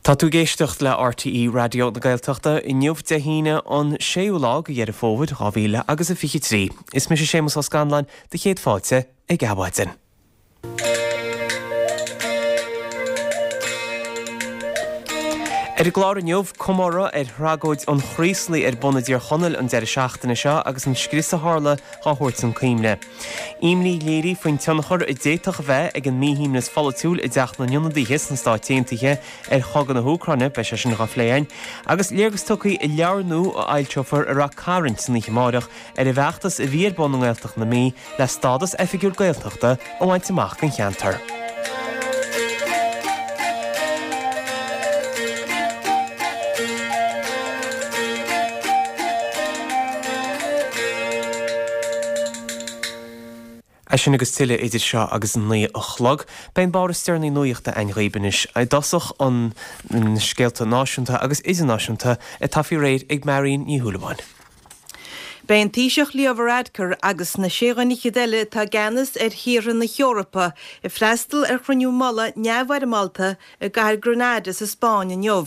Tá tú ag éisteacht le RTÉ Raidió na Gaeltachta inniu Dé hAoine an 6ú lá de Dheireadh Fómhair 2000 agus a 23. Is mise Séamus Ó Scanláin do chéad fáilte ag Adhmhaidin. Ar an gclár inniu, comóradh ar thragóid an Chraoslaigh ar bun i dTír Chonaill an deireadh seachtaine seo agus an scrios a tharla dhá thabhairt chun cuimhne. Imní léirithe faoin tionchar a d'fhéadfadh a bheith ag an míshuaimhneas pholaitiúil i dTeach na nIonadaithe sna Stáit Aontaithe ar chogadh na hÚcráine, beidh sé sin dhá phlé againn. Agus léargas tugtha i leabhar nua a fhoilseofar i Rath Cairn san oíche amárach ar an bhfeachtas a bhí ar bun i nGaeltacht na Mí le stádas oifigiúil Gaeltachta a bhaint amach don cheantar. É sin agus tuilleadh idir seo agus an 9 a chlog. Beidh an barr is deireanaí nuachta againn dhaoibh anois. I dtosach an na scéalta náisiúnta agus idirnáisiúnta atá faoi réir ag Marion Ní Shúilleabháin. Beidh an Taoiseach Leo Varadkar agus na sé dhuine fhichead eile atá i gceannas ar thíortha na hEorpa ag freastal ar chruinniú mullaigh neamhfhoirmeálta i gcathair Granada sa Spáinn inniu.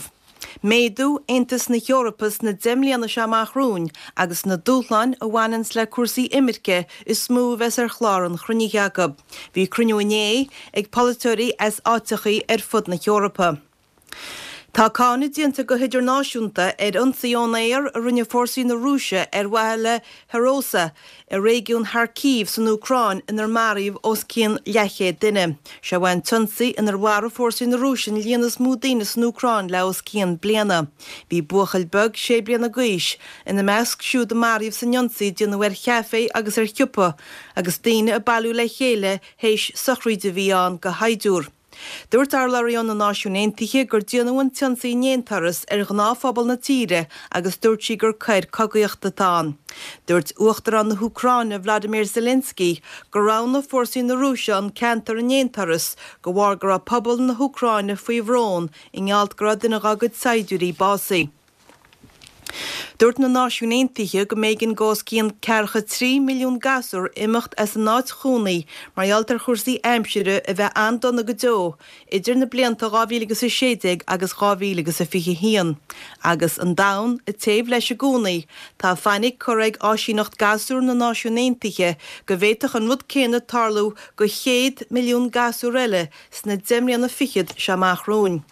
Méadú Aontas na hEorpa sna 10 mbliana seo amach romhainn agus na dúshláin a bhaineanns le cúrsaí imirce is mó a bheas ar chlár an chruinnithe acu. Bhí cruinniú inné ag polaiteoirí as áiteachaí ar fud na hEorpa. Tá cáineadh déanta go hidirnáisiúnta ar ionsaí ón aer a rinne fórsaí na Rúise ar mhaithe le Hroza i réigiún Kharkiv san Úcráin inar maraíodh os cionn leathchéad duine. Seo é an t-ionsaí inar mharaigh fórsaí na Rúise an líon is mó daoine san Úcráin le os cionn bliana. Bhí buachaill beag sé bliana d'aois ina measc siúd a maraíodh san ionsaí a déanadh ar chaifé agus ar shiopa agus daoine ag bailiú le chéile théis sochraíde a bhí ann do shaighdiúr. Dúirt urlabhraí ó na Náisiúin Aontaithe gur déanadh an t-ionsaí in aonturas ar ghnáthphobal na tíre agus dúirt sí gur coir cogaíochta atá ann. Dúirt Uachtarán na hÚcráine Vladimir Zelensky gur roghnaigh fórsaí na Rúise an ceantar in aonturas de bharr go raibh pobal na hÚcráine faoi bhrón i ngeall go raibh duine dhá gcuid saighdiúirí básaithe. Dúirt na Náisiúin Aontaithe go mb'éigean do os cionn ceathracha 3 milliún gasúr imeacht as a n-áit chónaí mar gheall ar chúrsaí aimsire a bheith an-dona go deo idir na blianta 2016 agus 2021. Agus an domhan ag téamh leis i gcónaí, tá fainic curtha ag Áisíneacht Gasúr na Náisiún Aontaithe go bhféadfadh an rud céanna tarlú do chéad milliún gasúr eile sna deich mbliana fichead seo amach romhainn.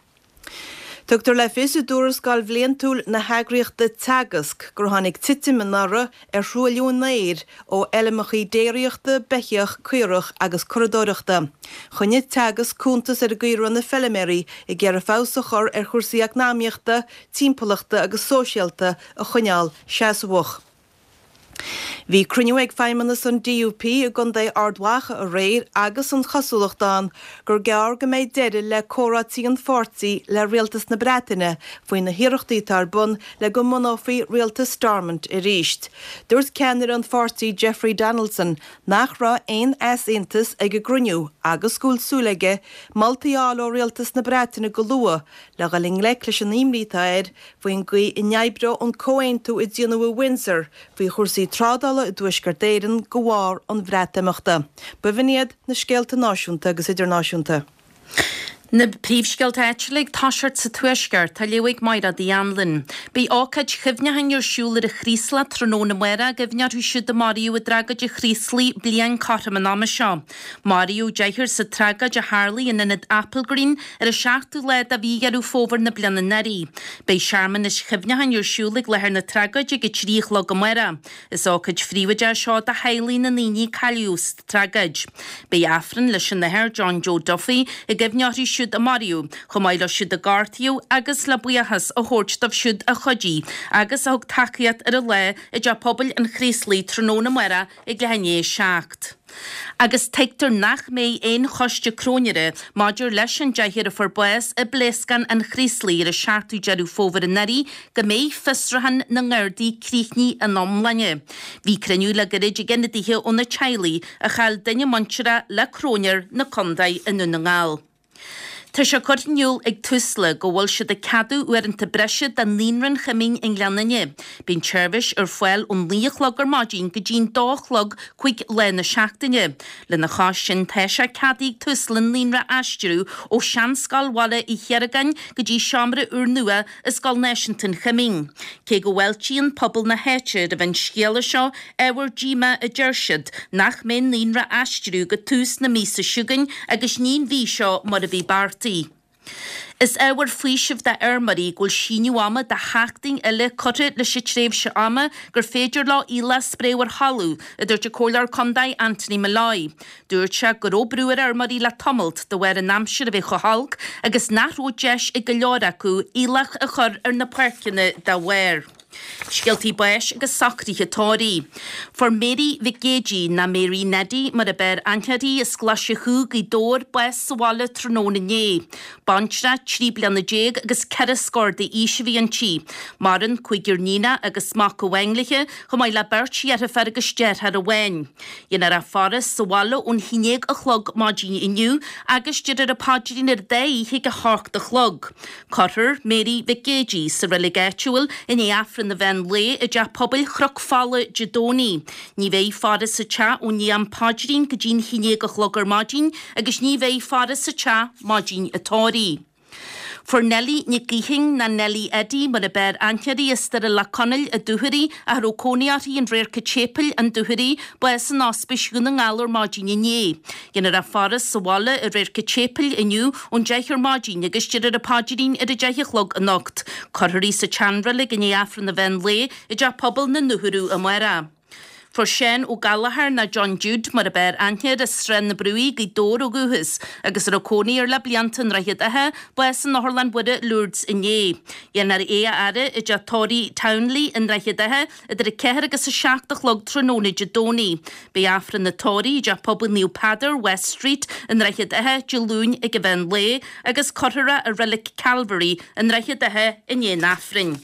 Tugtar le fios i dtuarascáil bhliantúil na heagraíochta Teagasc gur tháinig titim anuraidh ar thruailliú an aeir ó fheilmeacha déiríochta, beithíoch, caorach agus curadóireachta. Choinnigh Teagasc cuntas ar an gcaoi a raibh na feilméaraí ag iarraidh feabhas a chur ar chúrsaí eacnamaíochta, timpeallachta agus sóisialta a choinneáil seasmhach. Bhí cruinniú ag feidhmeannas an DUP i gContae Ard Mhacha aréir agus an chosúlacht ann gur gearr go mbeidh deireadh le comhráití an pháirtí le rialtas na Breataine faoi na hiarrachtaí atá ar bun le go mbunófaí rialtas Stormont arís. Dúirt ceannaire an pháirtí Jeffrey Donaldson nach raibh aon easaontas ag an gcruinniú agus go bhfuil súil aige moltaí a fháil ó rialtas na Breataine go luath le dhul i ngleic leis an imní atá air faoin gcaoi a n-oibreoidh an comhaontú a déanadh i Windsor faoi chúrsaí trádála i dTuaisceart Éireann de bharr an Bhreatimeachta. B'in iad na scéalta náisiúnta agus idirnáisiúnta. Na príomhscéalta áitiúla ag toiseacht sa Tuaisceart, á léamh ag Mairéad Uí Anluain. Beidh ócáid chuimhneacháin ar siúl ar an Chraoslach tráthnóna amárach i gcuimhne orthu siúd a maraíodh i dtragóid an Chraoslaigh bliain cothrom an ama seo. Maraíodh deichniúr sa tragóid a tharlaigh in ionad Applegreen ar an seachtú lá de mhí Dheireadh Fómhair na bliana anuraidh. Beidh searmanais chuimhneacháin ar siúl ag láthair na tragóide ag 3 a chlog amárach. Is ócáid phríobháideach é seo do theaghlaigh na ndaoine a cailleadh sa tragóid. Beidh Aifreann leis an Athair John Joe Duffy i gcuimhne orthu siúd a maraíodh, chomh maith leo siúd a gortaíodh agus le buíochas a thabhairt dóibh siúd a chuidigh agus a thug tacaíocht ar an lá i dTeach Pobail an Chraoslaigh tráthnóna amárach ag leath i ndiaidh a 7. Agus tuigtear nach mbeidh aon choiste cróinéara maidir leis an deichniúr a fuair bás i bpléascán an Chraoslaigh ar an 7ú Deireadh Fómhair anuraidh go mbeidh fiosrúchán na nGardaí críochnaithe ina iomláine. Bhí cruinniú le gairid ag ionadaithe ó na teaghlaigh a chaill duine muinteartha le cróinéir na contae i nDún na nGall. Tá sé curtha in iúl ag Tusla go bhfuil siad ag ceadú uaireanta breise do Naíonra an Choimín i nGleann Fhinne. Bíonn tseirbhís ar fáil ón 9 a chlog ar maidin go dtí'n 2 a chlog 5 lá na seachtaine. Lena chois sin tá sé ceadaithe ag Tusla an naíonra a aistriú ó sheanscoil Bhaile Uí Chiargáin go dtí seomra úrnua i Scoil Náisiúnta an Choimín. Cé go bhfáiltíonn pobal na háite roimh an scéala seo, ábhar díomá a deir siad nach mbeidh an naíonra á aistriú go tús na míosa seo chugainn agus ní an mhí seo mar a bhí beartaithe. Is ábhar faoisimh d'fheirmeoirí go bhfuil síneadh ama de sheachtain eile curtha leis an tréimhse ama gur féidir leo aoileach a spréadh ar thalamh, a dúirt an Comhairleoir Contae Anthony Molloy. Dúirt sé go raibh brú ar fheirmeoirí le tamalt de bharr an aimsir a bheith chomh holc agus nach raibh deis ag go leor acu aoileach a chur ar na páirceanna dá bharr. Scéaltaí báis agus socruithe tórraimh. Fuair Mary Mhic Géidigh, ná Mary Neddy mar a b'fhearr aithne uirthi, as Glaise Chú, Gaoth Dobhair, bás sa bhaile tráthnóna inné. Baintreach 13 bliana agus ceithre scór d'aois a bhí inti. Maireann cúigear níonach agus mac amháin léi, chomh maith le beirt dheirféar agus deartháir amháin. Déanfar a faire sa bhaile ón haon déag a chlog maidin inniu agus déarfar an paidrín ar an dá oíche ag a hocht a chlog. Cuirfear Mary Mhic Géidigh sa reilig áitiúil i ndiaidh Aifreann an mheán lae i dTeach Pobail Chnoc Fola Dé Domhnaigh. Ní bheidh faire sa teach ó ndiaidh an phaidrín go dtí'n haon déag a chlog ar maidin agus ní bheidh faire sa teach maidin an tórraimh. Fuair Nellie Nic Gaoithín, ná Nellie Eddie mar a b'fhearr aithne uirthi, as Doire Leac Conaill, an Dúchoraidh, ach a raibh cónaí uirthi in Radharc an tSéipéil, an Dúchoraidh, bás in Ospís Dhún na nGall ar maidin inné. Déanfar a faire sa bhaile i Radharc an tSéipéil inniu ón 10 ar maidin agus déarfar an paidrín ar a 10 a chlog anocht. Cuirfear í sa tseanreilig i ndiaidh Aifreann an mheán lae i dTeach Pobail na nDúchoradh amárach. Fuair Seán Ó Gallchóir, ná John Jude mar a b'fhearr aithne air, as Srath na Brúigh, Gaoth Dobhair ó dhúchas agus a raibh cónaí air le blianta i nDroichead Átha, bás in Otharlann Mhuire, Lourdes inné. Dhéanfar é a fhaire i dteach tórraimh Townley i nDroichead Átha idir 4 agus 7 a chlog tráthnóna Dé Domhnaigh. Beidh Aifreann an tórraimh i dTeach Pobail Naomh Peadar, West Street, i nDroichead Átha, Dé Luain ag an mheán lae agus cuirfear é i Reilig Calvary i nDroichead Átha i ndiaidh an Aifrinn.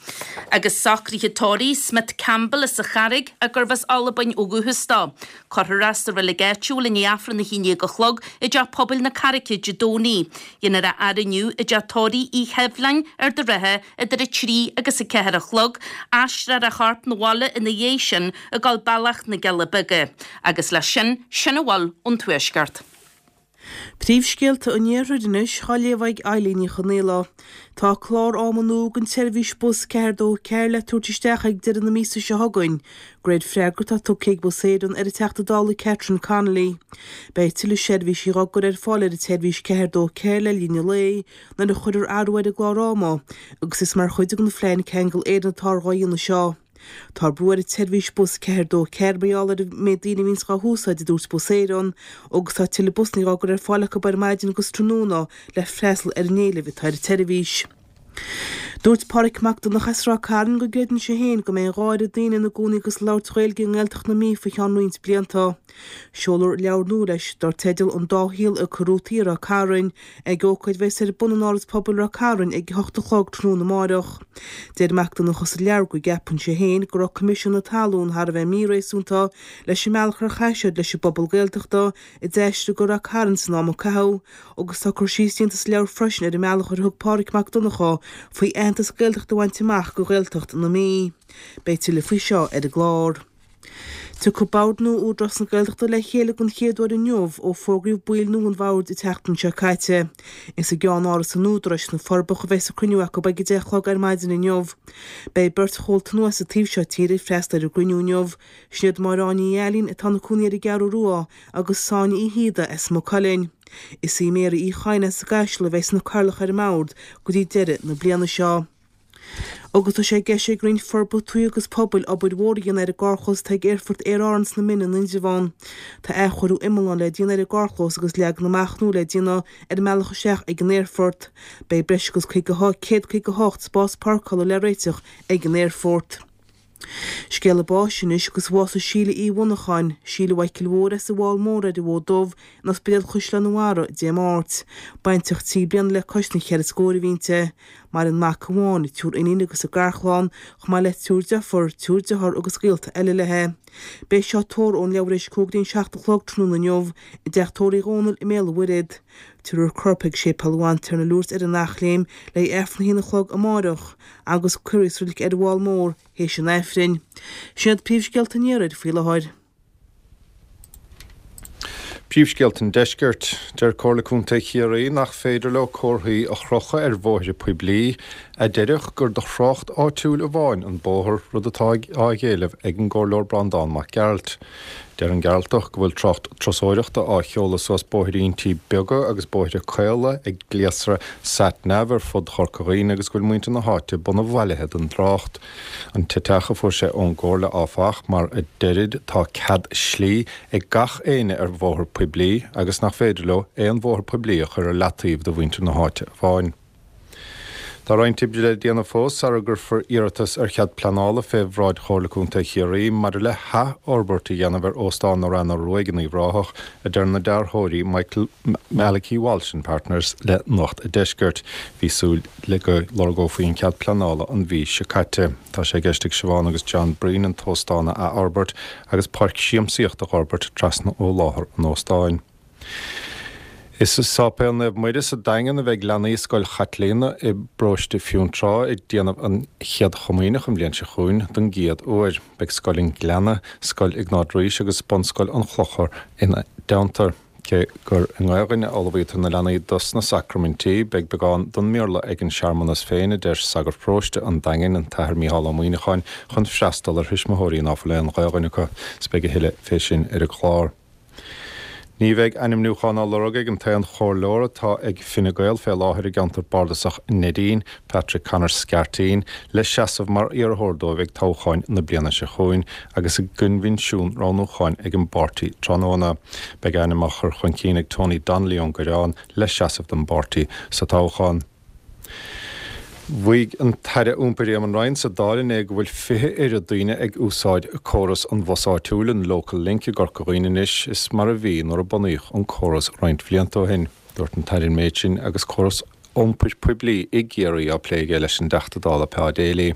Agus socruithe tórraimh Smith Campbell as an Charraig gurbh as Albain ó dhúchas dó. Cuirfear é sa reilig áitiúil i ndiaidh Aifreann a haon déag a chlog i dTeach Pobail na Carraice Dé Domhnaigh. Dhéanfar a fhaire inniu i dTeach Tórraimh Uí Sheibhleáin, Ard an Rátha, idir 3 agus 4 a chlog, aistreofar a chorp 'na bhaile ina dhiaidh sin ag dul bealach na gCealla Beaga. Agus leis sin, sin a bhfuil ón Tuaisceart. Príomhscéalta an Iarthair anois á léamh ag Eilín Ní Chonaola. Tá clár ama nua don tseirbhís bus 424 le tabhairt isteach ag deireadh na míosa seo chugainn, de réir freagra atá tugtha ag Bus Éireann ar an Teachta Dála Catherine Connolly. Beidh tuilleadh seirbhísí dhá gcur ar fáil ar an tseirbhís 424 le linn an lae nuair a chuirfear athrú ar an gclár ama agus is mar chuid den phlean Ceangal Éireann atáthar dhá dhéanamh seo. Tá brú ar an tseirbhís bus 424 mar gheall ar an méid daoine a bhíonns dhá húsáid, a dúirt Bus Éireann, agus tá tuilleadh busanna dhá gcur ar fáil acu ar maidin agus tráthnóna le freastal ar an éileamh atá ar an tseirbhís. Dúirt Pádraic Mac Donncha as Ráth Cairn go gcreideann sé féin go mbeidh an dhá oiread daoine ina gcónaí agus ag labhairt Ghaeilge i nGaeltacht na Mí faoi cheann roinnt blianta. Seolfar leabhar nua leis, dar teideal An Dá Shaol ag Cur Rútaí i Ráth Cairn, ag ócáid a bheas ar bun in Áras Pobail Ráth Cairn ag a hocht a chlog tráthnóna amáireach. Deir Mac Donncha sa leabhar go gceapann sé féin go raibh Coimisiún na Talún thar a bheith míréasúnta leis an mbealach ar chaith siad leis an bpobal Gaeltachta a d'aistrigh go Ráth Cairn san am a caitheadh agus tá cur síos déanta sa leabhar freisin ar an mbealach ar thug Pádraig Mac Donncha faoi aitheantas Gaeltachta a bhaint amach do Ghaeltacht na Mí. Beidh tuilleadh faoi seo ar an gclár. Tiocfaidh Bord nua Údarás na Gaeltachta le chéile den chéad uair inniu ó fógraíodh baill nua an bhoird an tseachtain seo caite. Is i gceann-áras an Údaráis sna Forbacha a bheas an cruinniú acu ag 10 a chlog ar maidin inniu. Beidh beirt chomhalta nua as an taobh seo tíre ag freastal ar an gcruinniú inniu, sin iad Máire Áine Ní Ailín atá ina cónaí ar an gCeathrú Rua agus Sonia Uí Shíoda as Maigh Cuilinn. Is í Mary Uí Chadhain as an gCaiseal a bheas ina cathaoirleach ar an mbord go dtí deireadh na bliana seo. Agus tá sé i gceist ag Roinn Forbartha Tuaithe agus Pobail obair mhór a dhéanamh ar an gcarrchlós atá ag Aerfort Aer Árann sna Mine in Indreabhán. Tá athchóiriú iomlán le déanamh ar an gcarrchlós agus leagan amach nua le déanamh ar an mbealach isteach ag an aerfort. Beidh breis agus 158 spás páirceála le réiteach ag an aerfort. Scéala báis anois agus bhásaigh Síle Uí Mhonacháin, Síle Mhichael Mhóir as an bhFál Mór ar an bhFód Dubh in Ospidéal Chaisleán an Bharraigh Dé Máirt. Baintreach trí bliana le cois na cheithre scór a bhí inti. Maireann mac amháin, triúr iníon agus a garchlann, chomh maith le triúr deirfiúr, triúr dearthár agus gaolta eile léi. Beidh seo tórramh ón leathuair tar éis 6:25 a chlog tráthnóna inniu i dteach tórraimh Uí Dhónaill i mBéal an Mhuirthead. Tabharfar a corp chuig Séipéal an Bhantiarna Lourdes ar an Eachléim le haghaidh Aifreann a haon a chlog amáireach agus cuirfear í sa reilig ar an bhFál Mór théis an Aifrinn. Sin iad príomhscéalta an Iarthair faoi láthair. Príomhscéalta an Deiscirt. Deir Comhairle Contae Chiarraí nach féidir leo comharthaí a chrochadh ar bhóithre poiblí a déarfadh gur do thrácht áitiúil amháin an bóthar, rud atá á éileamh ag an gComhairleoir Breandán Mac Gearailt. Deir an Gearaltach go bhfuil trácht turasóireachta á sheoladh suas bóithríntí beaga agus bóithre caola ag gléasra sat nav ar fud Chorca Dhuibhne agus go bhfuil muintir na háite bunabhailithe den dtrácht. An t-eiteach a fuair sé ón gComhairle áfach, mar a deirid tá cead slí ag gach éinne ar bhóthar poiblí agus nach féidir leo aon bhóthar poiblí a chur ar leataobh do mhuintir na háite amháin. Tá roinnt oibre le déanamh fós sara gcuirfear iarratas ar chead pleanála fé bhráid Chomhairle Contae Chiarraí maidir le hathfhorbairt a dhéanamh ar Óstán na Reanna Ruaidh in Uíbh Ráthach, a deir na dearthóirí Michael Malachy Walsh and Partners le Nuacht a' Deiscirt. Bhí súil le go lorgófaí an cead pleanála an mhí seo caite. Tá sé i gceist ag Siobhán agus John Breen an t-óstán a athfhorbairt agus páirc siamsaíochta a dh'fhorbairt trasna ó láthair an óstáin. Is i Sáipéal Naomh Muire sa Daingean a bheidh leanaí Scoil Chaitlíona i bparóiste Fionntrá ag déanamh an Chéad Chomaoineach an bhliain seo chugainn don gcéad uair. Beidh Scoil an Ghleanna, Scoil Iognáid Rís agus Bunscoil an Chlochair ina dteannta. Cé gur i nGaelainn a ullmhaítear na leanaí dos na sacraimintí, beidh beagán don mBéarla ag an searmanas féin, a deir sagart paróiste an Daingin, an tAthair Mícheál Ó Muíneacháin, chun freastal ar thuismitheoirí ná fuil aon Ghaelainn acu. 'S beidh a thuilleadh fé sin ar an gclár. Ní bheidh ainmniúchán á lorg ag an t-aon chomhairleoir atá ag Fine Gael fé láthair i gceantar bardasach Neidín, Patrick Conor Scarteen, le seasamh mar iarrthóir dóibh ag toghcháin na bliana seo chugainn agus i gcoinbhinsiún roghnúcháin ag an bpáirtí tráthnóna. Beidh a ainm á chur chun cinn ag Tony Donnelly ón gCoireán le seasamh don bpáirtí sa toghchán. Mhaígh an tAire Iompair Éamon Ryan sa Dáil inné go bhfuil 20 oiread daoine ag úsáid córas an bhus áitiúil, an Local Link, i gCorca Dhuibhne anois is mar a bhí nuair a bunaíodh an córas roinnt bhlianta ó shin. Dúirt an tAire an méid sin agus córas iompair poiblí i gCiarraí á plé aige leis an dTeachta Dála Pa Daly.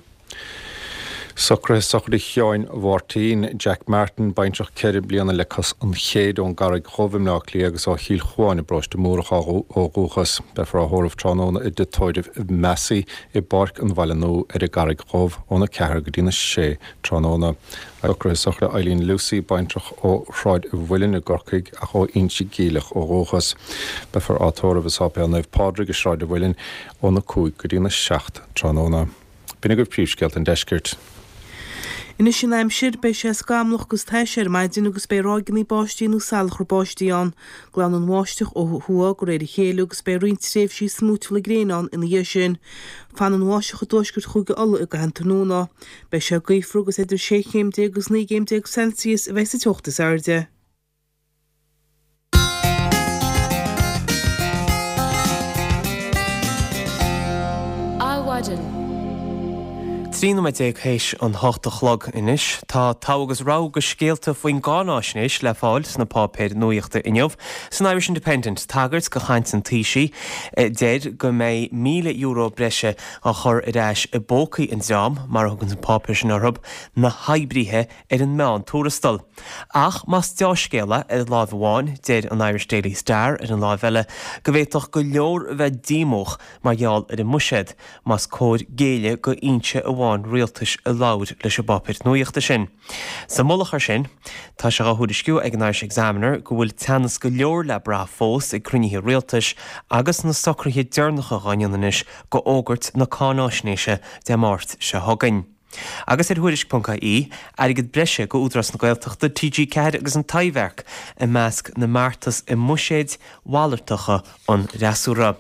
Socruithe sochraide Sheáin Mháirtín, Jack Martin, baintreach 4 bliana le cois an chéid ón gCarraig Dhubh i mBleá Cliath agus ó Chill Chuáin i bParóiste Múrach ó dhúchas. Beifear á thórramh tráthnóna i dTigh Tórraimh Massey i bPáirc an Bhaile Nua ar an gCarraig Dhubh óna 4 go dtína 6 tráthnóna. Socruithe sochraide Eileen Lucey, baintreach ó Shráid an Mhuilinn i gCorcaigh ach ó Inse Geimhleach ó dhúchas. Beifear á tórramh i Sáipéal Naomh Pádraig i Sráid an Mhuilinn óna 5 go dtína 7 tráthnóna. B'in agaibh príomhscéalta an deiscirt. Anois an aimsir, beidh sé scamallach agus tais ar maidin agus beidh ráigeanna báistí nó salachar báistí ann. Glanfaidh an bháisteach ó thuaidh de réir a chéile agus beidh roinnt tréimhsí smúitiúla gréine ann ina dhiaidh sin. Fanfaidh an bháisteach i dtuaisceart Chúige Uladh i gcaitheamh an tráthnóna. Beidh sé gaofar agus idir 16 chéim agus 19 gcéim Celsius a bheidh sa teocht is airde. Adhmhaidin. 13 nóiméad théis an hocht a chlog anois. Tá togha agus rogha de scéalta faoin gcáináisnéis le fáil sna páipéir nuaíochta inniu. San Irish Independent, tagairt do chaint an Taoisigh a deir go mbeidh €1,000 breise á chur ar ais i bpócaí an dream, mar a thugann an páipéar sin orthu, na hoibrithe ar an meán-tuarastal. Ach más deá-scéal é ar láimh amháin, deir an Irish Daily Star ar an láimh eile go bhféadfadh go leor a bheith díomách mar gheall ar an mbuiséad, más cóir géilleadh go fhoinse amháin rialtais a labhair leis an bpáipéar nuaíochta sin. Sa mullach air sin, tá sé á thuairisciú ag an Irish Examiner go bhfuil teannas go leor le brath fós ag cruinnithe rialtais agus na socruithe deireanacha dhá ndéanamh anois go fhógairt na cáináisnéise Dé Máirt seo chugainn. Agus ar Thuairisc.ie, airgead breise go Údarás na Gaeltachta, TG4 agus an Taibhdhearc i measc na mbeartas i mbuiséid mhalartacha an fhreasúra.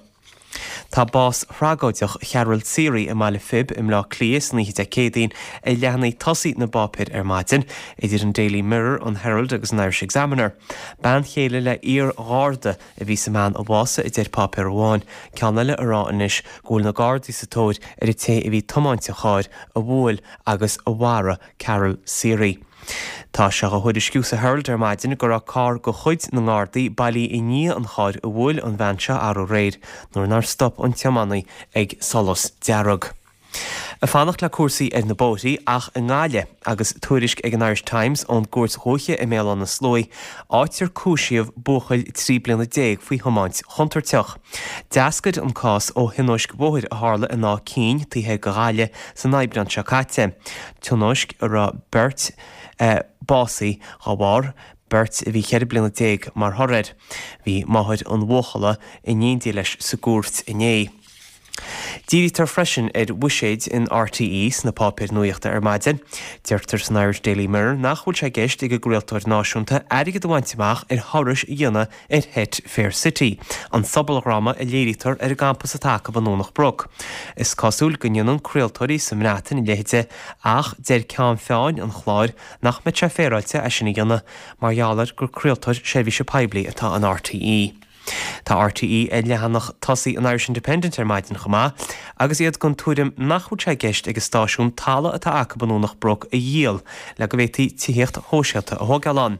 Tá bás thragóideach Cheryl Seery i mBaile Phib i mBleá Cliath san oíche Dé Céadaoin ar leathanaigh tosaigh na bpáipéar ar maidin, idir an Daily Mirror, an Herald agus an Irish Examiner. Bean chéile le iar-gharda a bhí sa mbean a bhásaigh, a deir páipéar amháin, ceann eile ag rá anois go bhfuil na Gardaí sa tóir ar an té a bhí ag tiomáint an chairr a bhuail agus a mharaigh Carol Seery. Tá sé á thuairisciú sa Herald ar maidin go raibh carr de chuid na nGardaí bailí i ndiaidh an chairr a bhuail an bhean seo arú aréir nuair nár stop an tiománaí ag solas dearg. Ag fanacht le cúrsaí ar na bóithrí ach i nGaillimh agus tuairisc ag an Irish Times ón gCúirt Dhúiche i mBéal Átha na Sluaighe, áit ar cúisíodh buachaill 13 bliana faoi thiomáint chontúirteach. D'eascair an cás ó thionóisc bhóthair a tharla in Áth Cinn, taobh thoir de Ghaillimh, san Aibreán seo caite. Tionóisc a raibh beirt básaithe dá bharr, beirt a bhí 14 bliana mar thoradh air. Bhí máthair an bhuachalla in éindí leis sa gcúirt inné. Dírítear freisin ar bhuiséid in RTÉ sna páipéir nuachta ar maidin. Deirtear san Irish Daily Mirror nach bhfuil sé i gceist ag an gcraoltóir náisiúnta airgead a bhaint amach ar thurais a dhéanamh ar sheit Fair City, an sobaldhráma a léirítear ar an gcampas atá acu i nDomhnach Broc. Is cosúil go ndéanann craoltóirí sa mBreatain a leithéide ach deir ceann feadhain an chláir nach mbeadh sé féaráilte é sin a dhéanamh mar gheall ar gur craoltóir seirbhíse poiblí atá in RTÉ. Tá RTÉ ar leathanach tosaigh an Irish Independent ar maidin chomh maith agus iad den tuairim nach bhfuil sé i gceist ag an stáisiún talamh atá acu i nDomhnach Broc a dhíol le go bhféadfaí tithíocht shóisialta a thógáil ann.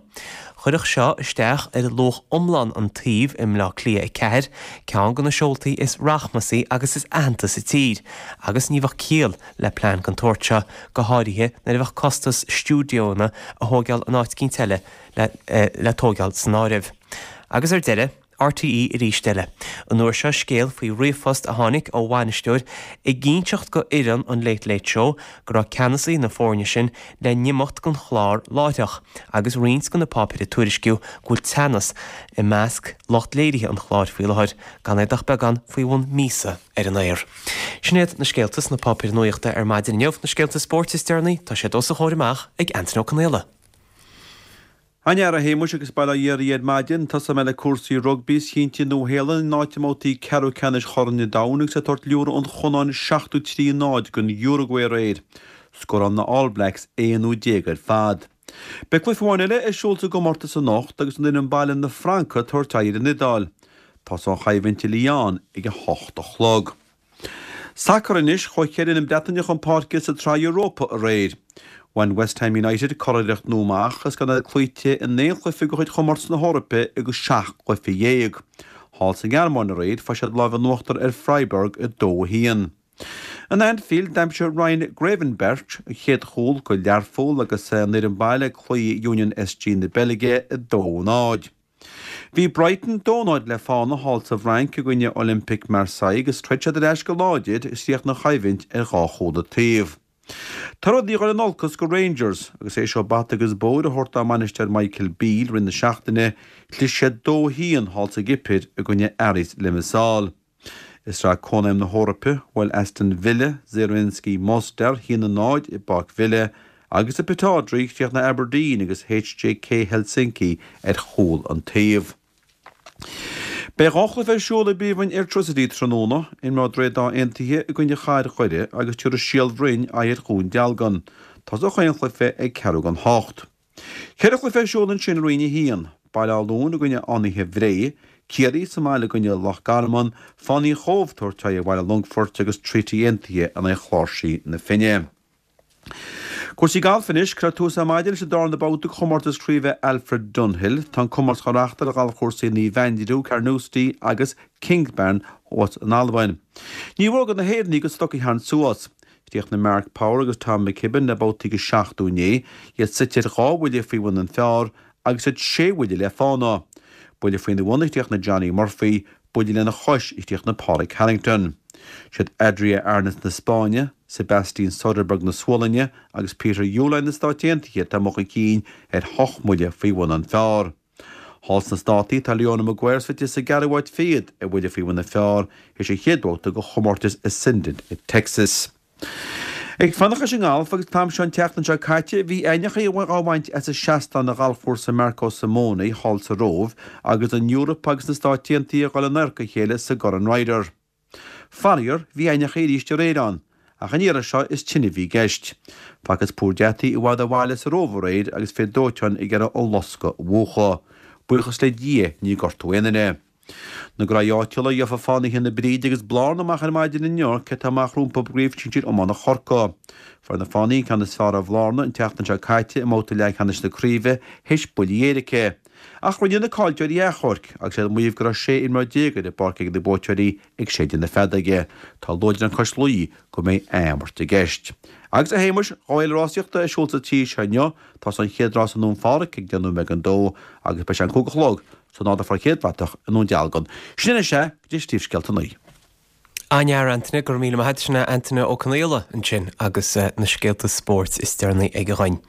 Chuirfeadh seo isteach ar luach iomlán an tsuímh i mBleá Cliath 4, ceann de na seoltaí is rachmasaí agus is aitheanta sa tír, agus ní bheadh ciall le plean den tsórt seo, go háirithe nuair a bheadh costas stiúideónna a thógáil in áit eicínt eile le tógáil san áireamh. Agus ar deireadh, RTÉ arís eile. An uair seo scéal faoi ríomhphost a tháinig ó bhainisteoir ag inseacht go fhoireann an Late Late Show go raibh ceannasaí na foirne sin le n-imeacht den chlár láithreach agus roinnt de na páipéir ag tuairisciú go bhfuil teannas i measc lucht léirithe an chláir faoi láthair gan iad ach beagán faoi bhun míosa ar an aer. Sin iad na scéalta sna páipéir nuachta ar maidin inniu. Na scéalta spóirt is deireanaí, tá siad os a chomhair amach ag Antain Ó Conaola. An-fhear a Shéamuis agus bail ó Dhia oraibh ar maidin. Tosóidh mé le cúrsaí rugbaí is cinnte Nua Shéalainn in áit i mbabhtaí ceathrú ceannais Chorn an Domhain agus ag tabhairt liúradh an Chonáin 73-0 don Uruguay aréir. Scóráil na All Blacks 11ú ar fad. Beidh cluiche amháin eile ar siúl sa gcomórtas anocht agus an fhoireann baile na Francaigh ag tabhairt aghaidh ar an Iodáil. Tosóidh an choimhlint i Lyon ag a hocht a chlog. Sacar anois, chuaigh 4 fhoireann Breataine chun páirce sa tSraith Europa aréir. Bhain West Ham United curiarracht nua amach agus gan iad cloíte in aon chluiche de chuid chomórtas na hEorpa agus 17 gcluiche. Thall sa nGearmáin aréir, fuair siad lámh in uachtar ar Freiburg 2-1. In Anfield, d'aimsigh Ryan Gravenberch a chéad chúl do Learpholl agus an fhoireann baile ag cloí Union SG na Beilge 2-0. Bhí Brighton 2-0 le fána thall sa bhFrainc i gcoinne Olympique Marseille agus throid siad ar ais go láidir agus chríochnaigh an choimhlint ar dhá chúl an taobh. Tá rudaí ag dul in olcas go Rangers agus théis dóibh bata agus bodhar a thabhairt dá mbainisteoir Michael Beale i rith na seachtaine, chlis siad 2-1 thall sa gCipir i gcoinne Aris Limassol. I Sraith Cónaidhm na hEoraipe, bhuail Aston Villa Zrinjski Mostar 1-0 i bPáirc Villa agus i Pittodrie chríochnaigh Aberdeen agus HJK Helsinki ar chúl an taobh. Beidh dhá chluiche ar siúl i bPríomhroinn Airtricity tráthnóna, imreoidh Droichead Átha Aontaithe i gcoinne Chathair Dhoire agus tabharfaidh Síol Bhroin aghaidh ar Dhún Dealgan. Tosóidh chaon chluiche ag ceathrú don hocht. Ceithre chluiche ar siúl ansin i Roinn 1, Baile Átha Luain i gcoinne Fhánaithe Bhré, Ciarraí sa mbaile i gcoinne Loch Garman, Fánaí an Chóibh ag tabhairt aghaidh ar Bhaile Longfoirt agus Treaty Aontaithe in aghaidh Chláirsí na Finne. Cúrsaí gailf anois, Cuirfear tús ar maidin leis an darna babhta de chomórtas craoibhe Alfred Dunhill. Tá an comórtas á reáchtáil ar ghalfchúrsaí Naomh Aindriú, Carnoustie agus Kingsbarns thuas in Albain. Ní mhór do na hÉireannaigh a stoc a tharraingt suas. Chríochnaigh Mark Power agus Tom McKibbin le babhtaí de 70 inné, iad suite ar dhá bhuille faoi bhun an phar agus iad sé bhuille le fána. Buille faoina bhun a chríochnaigh Johnny Murphy, buille lena chois a chríochnaigh Pádraig Harrington. Siad Adria Arnaus na Spáinne, Sebastian Soderberg na Sualainne agus Peter Uihlein na Stáit Aontaithe atá amuigh chun cinn ar hocht mbuille faoi bhun an phar. Thall sna Státaí, tá Leona Maguire suite sa gceathrú háit fichead, ar bhuille faoi bhun an phar, théis an chéad bhabhta de chomórtas Ascendant i Texas. Ag fanacht leis an ngalf, agus an t-am seo an tseachtain seo caite, bhí aibhneacha á bhaint as a seastán ar ghalfchúrsa Marco Simone thall sa Róimh agus an Eoraip agus na Stáit Aontaithe ag dul in adharca a chéile sa gCorn Ryder. Faraor, bhí aibhneacha arís aréir ann, ach an iarraidh seo is tine a bhí i gceist. Facthas púir deataigh i bhfad ó bhaile sa Róimh aréir agus fir dóiteáin ag iarraidh an loscadh a mhúchadh. Buíochas le Dia níor gortaíodh aon duine. Na graí áitiúla, gheofa Fánaithe na Bríde agus Blarna amach ar maidin inniu cé atá amach rompu i gCraobh Shinsir Iomána Chorcaí. Fuair na Fánaithe an ceann is fearr ar Bhlarna an tseachtain seo caite i mbabhta leathcheannais na craoibhe théis buille éirice. Ach rinne na caillteoirí achomharc agus iad ag maíomh go raibh 16 imreoir ar an bpáirc ag na buaiteoirí ag séideadh na feadóige. Tá luaidreán cois Laoi go mbeidh athimirt i gceist. Agus a Shéamais, 2 fhéile rásaíochta ar siúl sa tír seo inniu. Tosóidh an chéad rás i nDún Phádraig ag 10 nóiméad don dó agus beidh sé an 5 a chlog san ardú fán chéad bhratach i nDún Dealgan. Sin anois é, go dtí príomhscéalta a 9. An-fhear, Antaine, go raibh míle maith agat. Sin é Antaine Ó Conaola ansin agus na scéalta spóirt is deireanaí aige dhuinn.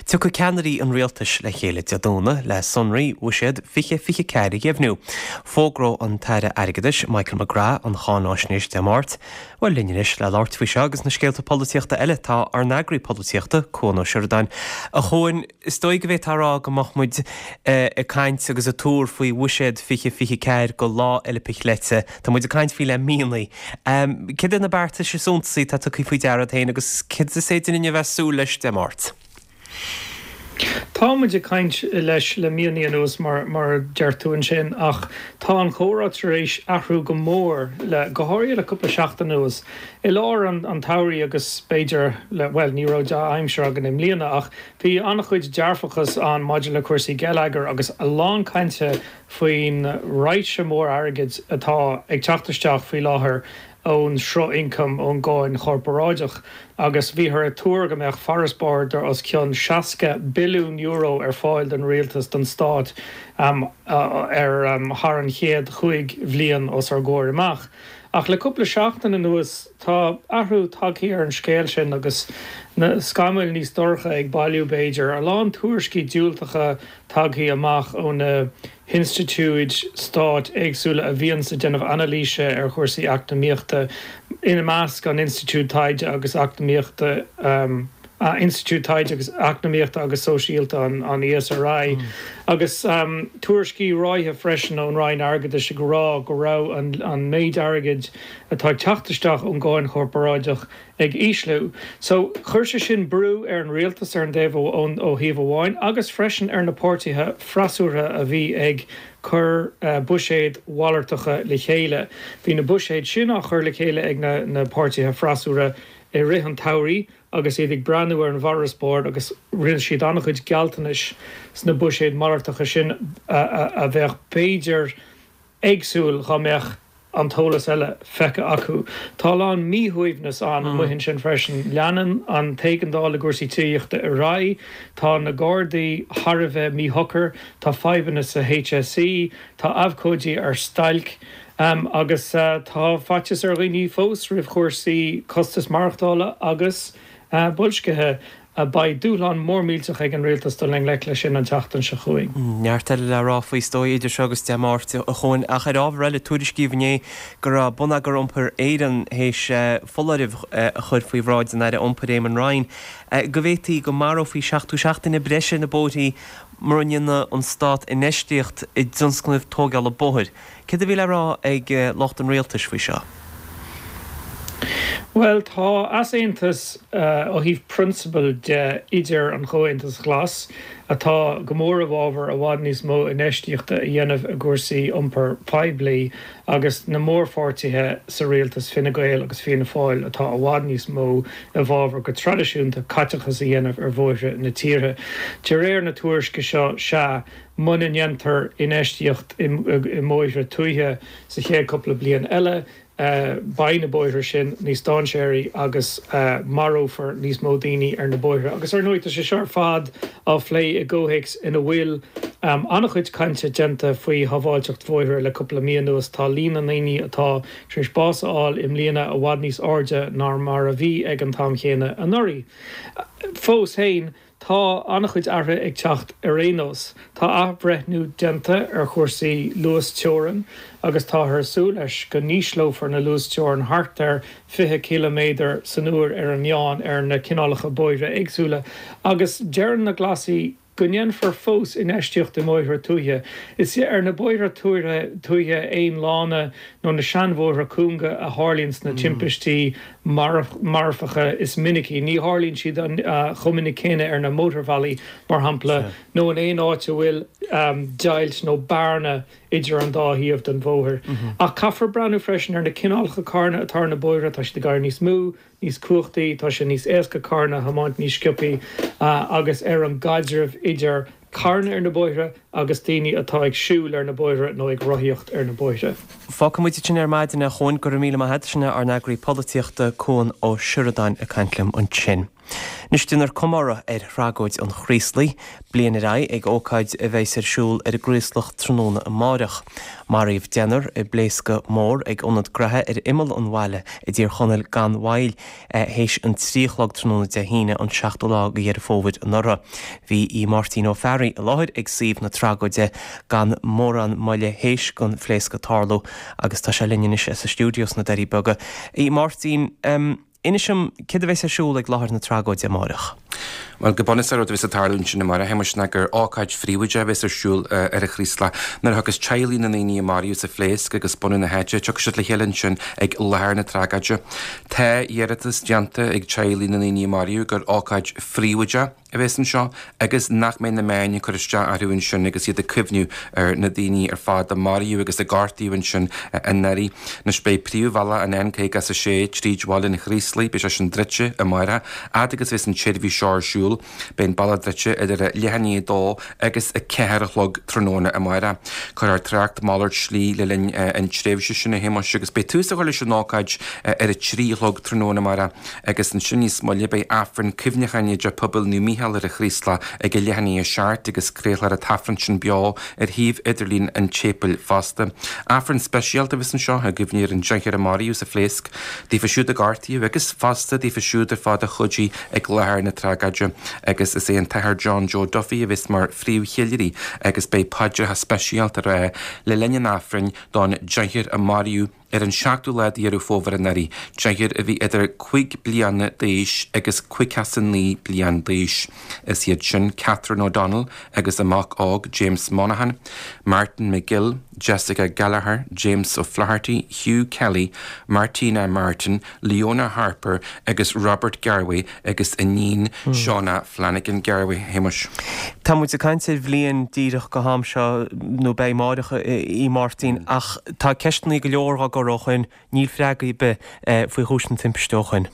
Tiocfaidh ceannairí an rialtais le chéile Dé Domhnaigh le sonraí Bhuiséad 2024 a dheimhniú. Fógróidh an tAire Airgeadais, Michael McGrath, an cháináisnéis Dé Máirt. Bhuel, linn anois le labhairt faoi seo agus na scéalta polaitíochta eile tá ár n-eagraí polaitíochta, Cuan Ó Seireadáin. A Chuain, Is dóigh go bhféadfá a rá go mbeadh muid ag caint agus ag tuar faoi Bhuiséad 2024 go Lá Fhéile Piocleite. Tá muid ag caint faoi le míonna. Céard iad na beartais is suntasaí atá tugtha faoi deara agat féin agus céard is féidir linn a bheith ag súil leis Dé Máirt? Tá muid ag caint leis le míonna anuas mar mar a deir tú ansin ach tá an chomhrá tar éis athrú go mór le, go háirithe le cúpla seachtain anuas. I lár an tsamhraidh agus b'fhéidir le, bhuel ní raibh dea-aimsir againn i mbliana ach Bhí an-chuid dearfachas ann maidir le cúrsaí geilleagair agus a lán cainte faoin raidhse mór airgid atá ag teacht isteach faoi láthair ón sruth ioncaim ón gcáin chorparáideach agus bhíothar ag tuar go mbeadh farasbarr de os cionn €60 billiún ar fáil don rialtas, don stát ar thar an chéad chúig bhliain os ár gcomhair amach. Ach le cúpla seachtain anuas tá athrú tagtha ar an scéal sin agus na scamaill níos dorcha ag bailiú b'fhéidir. A lán tuairiscí diúltacha tagtha amach ó na hinstitiúid stáit éagsúla a bhíonns ag déanamh anailíse ar chúrsaí eacnamaíochta, ina measc an Institiúid Taighde agus Eacnamaíochta, Institiúid Taighde agus Eacnamaíochta agus Sóisialta, an ESRI, agus tuairiscí ráithe freisin ón Roinn Airgeadais ag rá go raibh an méid airgid atá ag teacht isteach ón gcáin chorparáideach ag ísliú. So, chuir sé sin brú ar an rialtas ar an dtaobh ó thaobh amháin agus freisin ar na páirtithe freasúrtha a bhí ag cur buiséid mhalartacha le chéile. Bhí na buiséid sin á chur le chéile ag na páirtithe freasúra i rith an tsamhraidh agus iad ag breathnú ar an bhfarasbarr agus rinne siad an-chuid gealltanais sna buiséid malartacha sin a bheadh b'fhéidir éagsúil dhá mbeadh an t-eolas eile feicthe acu. Tá a lán míshuaimhneas ann amuigh ansin freisin. Leanann an t-éigeandáil i gcúrsaí tithíochta ar aghaidh, tá na Gardaí thar a bheith míshocair, tá fadhbanna sa HSE, tá abhcóidí ar stailc. Agus tá faitíos ar dhaoine fós roimh chúrsaí costas maireachtála agus boilscithe. Beidh dúshlán mór millteach ag an rialtas dul i ngleic leis sin an tseachtain seo chugainn. Neart eile le rá faoi is dóigh idir seo agus Dé Máirt, a Chuain. Ach ar ábhar eile, tuairiscíodh inné go raibh Bonneagar Iompair Éireann théis foláireamh a chur faoi bhráid an Aire Iompair Eamon Ryan go bhféadfaí go marófaí 77 duine breise ar na bóithrí mura ndéana an Stát infheistíocht i dtionscnaimh tógála bóthair. Céard a bhí le rá ag lucht an rialtais faoi seo? Bhuel, tá easaontas ó thaobh prionsabail de idir an Chomhaontas Ghlas, atá go mór i bhfabhar i bhfad níos mó infheistíochta a dhéanamh i gcúrsaí iompair poiblí, agus na mórpháirtithe sa rialtas, Fine Gael agus Fianna Fáil, atá i bhfad níos mó i bhfabhar go traidisiúnta caiteachas a dhéanamh ar bhóithre na tíre. De réir na tuairisce seo, sea, Muna ndéantar infheistíocht i mbóithre tuaithe sa chéad cúpla bliain eile, beidh na bóithre sin níos dainséaraí agus marófar níos mó daoine ar na bóithre. Agus ar ndóigh, tá sé seo ar fad á phlé i gcomhthéacs ina bhfuil an-chuid cainte déanta faoi shábháilteacht bhóithre le cúpla mí anuas. Tá líon na ndaoine atá tar éis bás a fháil i mbliana i bhfad níos airde ná mar a bhí ag an t-am chéanna anuraidh. Fós féin, Tá an-chuid athruithe ag teacht ar aon nós. Tá athbhreithniú déanta ar chúrsaí luas-teorann agus táthar ag súil leis go n-ísleofar na luasteorainn thart ar 20 ciliméadar san uair ar an meán ar na cineálacha bóithre éagsúla agus deireann na Glasaigh go ndéanfar fós infheistíocht i mbóithre tuaithe. Is ar na bóithre tuaithe aon lána nó na seanbhóithre cúnga a tharlaíonns na timpistí. marfacha is minicí. Ní tharlaíonn siad chomh minic céanna ar na mótarbhealaí, mar shampla, nó in aon áit a bhfuil deighilt nó bearna idir an dá thaobh den bhóthar. Ach caithfear breathnú freisin ar na cineálacha carranna atá ar na bóithre, tá siad ag éirí níos mó, níos cumhachtaí, tá sé níos éasca carranna a thiomáint níos sciobthaí, agus ar an gcaidreamh idir carranna ar na bóithre agus daoine atá ag siúl ar na bóithre nó ag rothaíocht ar na bóithre. Fágfaidh muid ansin ar maidin, a Chuain. Go raibh míle maith agat. Sin é ár n-eagraí polaitíochta, Cuan Ó Seireadáin, ag caint liom ansin. Anois déanfar comóradh ar thragóid an Chraoslaigh, bliain ar aghaidh ag ócáid a bheas ar siúl ar an gCraoslach tráthnóna amáireach. Maraíodh deichniúr i bpléascadh mór ag ionad graithe ar imeall an bhaile i dTír Chonaill gan mhoill théis an 3 a chlog tráthnóna Dé hAoine an 7ú lá de Dheireadh Fómhair anuraidh. Bhí Aodh Máirtín Ó Fearraigh i láthair ag suíomh na tragóide gan mórán moille théis don phléascadh tarlú agus tá sé linn anois sa stiúideo sna Doirí Beaga. A Mháirtín, Inis dom, céard a bheas ar siúl ag láthair na tragóide amáireach? Bhuel, go bunúsach, rud a bheas ag tarlú ansin amáireach, a Shéamais, ná gur ócáid phríobháideach a bheas ar siúl ar an Chraoslach. Nuair a thiocfas teaghlaigh na ndaoine a maraíodh sa phléasc agus bunadh na háite, tiocfaidh siad le chéile ansin ag láthair na tragóide. Tá iarratas déanta ag teaghlaigh na ndaoine a maraíodh gur ócáid phríobháideach, a bheas anseo agus nach mbeidh na meáin ag cur isteach orthu ansin agus iad ag cuimhniú ar na daoine ar fad a maraíodh agus a gortaíodh ansin anuraidh. Anois beidh príomhbhealach an N56 tríd bhaile an Chraoslaigh, beidh sé sin druidte amárach, fhad agus a bheas an tseirbhís seo ar siúl. Beidh an bealach druidte idir a leath i ndiaidh a dó agus a ceathair a chlog tráthnóna amárach. Cuirfear trácht malairt slí le linn an tréimhse sin a Shéamais agus beidh tús á chur leis an ócáid ar a trí a chlog tráthnóna amárach. Agus ansin níos moille beidh Aifreann cuimhneacháin i dTeach Pobail Naomh Mícheál ar an Chraoslach ag a leath i ndiaidh a seacht agus craolfar an t-aifreann sin beo ar shuíomh idirlín an tséipéil fosta. Aifreann speisialta a bheas anseo i gcuimhne ar an deichniúr a maraíodh sa phléasc, daofa siúd a gortaíodh agus fosta daofa siúd ar fad a chuidigh ag láthair na tragóide. Agus is é an tAthair John Joe Duffy a bheas mar phríomhcheiliúraí agus beidh paidreacha speisialta á rá le linn an Aifrinn don deichniúr a maraíodh Ar an seachtú lá de Dheireadh Fómhair anuraidh, deichniúr a bhí idir cuig bliana d'aois agus 59 bliain d'aois. Is iad sin Catherine O'Donnell agus a mac óg James Monaghan, Martin McGill, Jessica Gallagher, James O'Flaherty, Hugh Kelly, Martina Martin, Leona Harper agus Robert Garwe agus a n-iníon Shauna Flanagan Garwe, a Shéamais. Tá muid ag caint ar bhliain díreach go ham seo, nó beidh amáireach, a Mháirtín, ach tá ceisteanna go leor á gcur ó shoin, níl freagraí ar bith faoi chúis na timpiste ó shoin.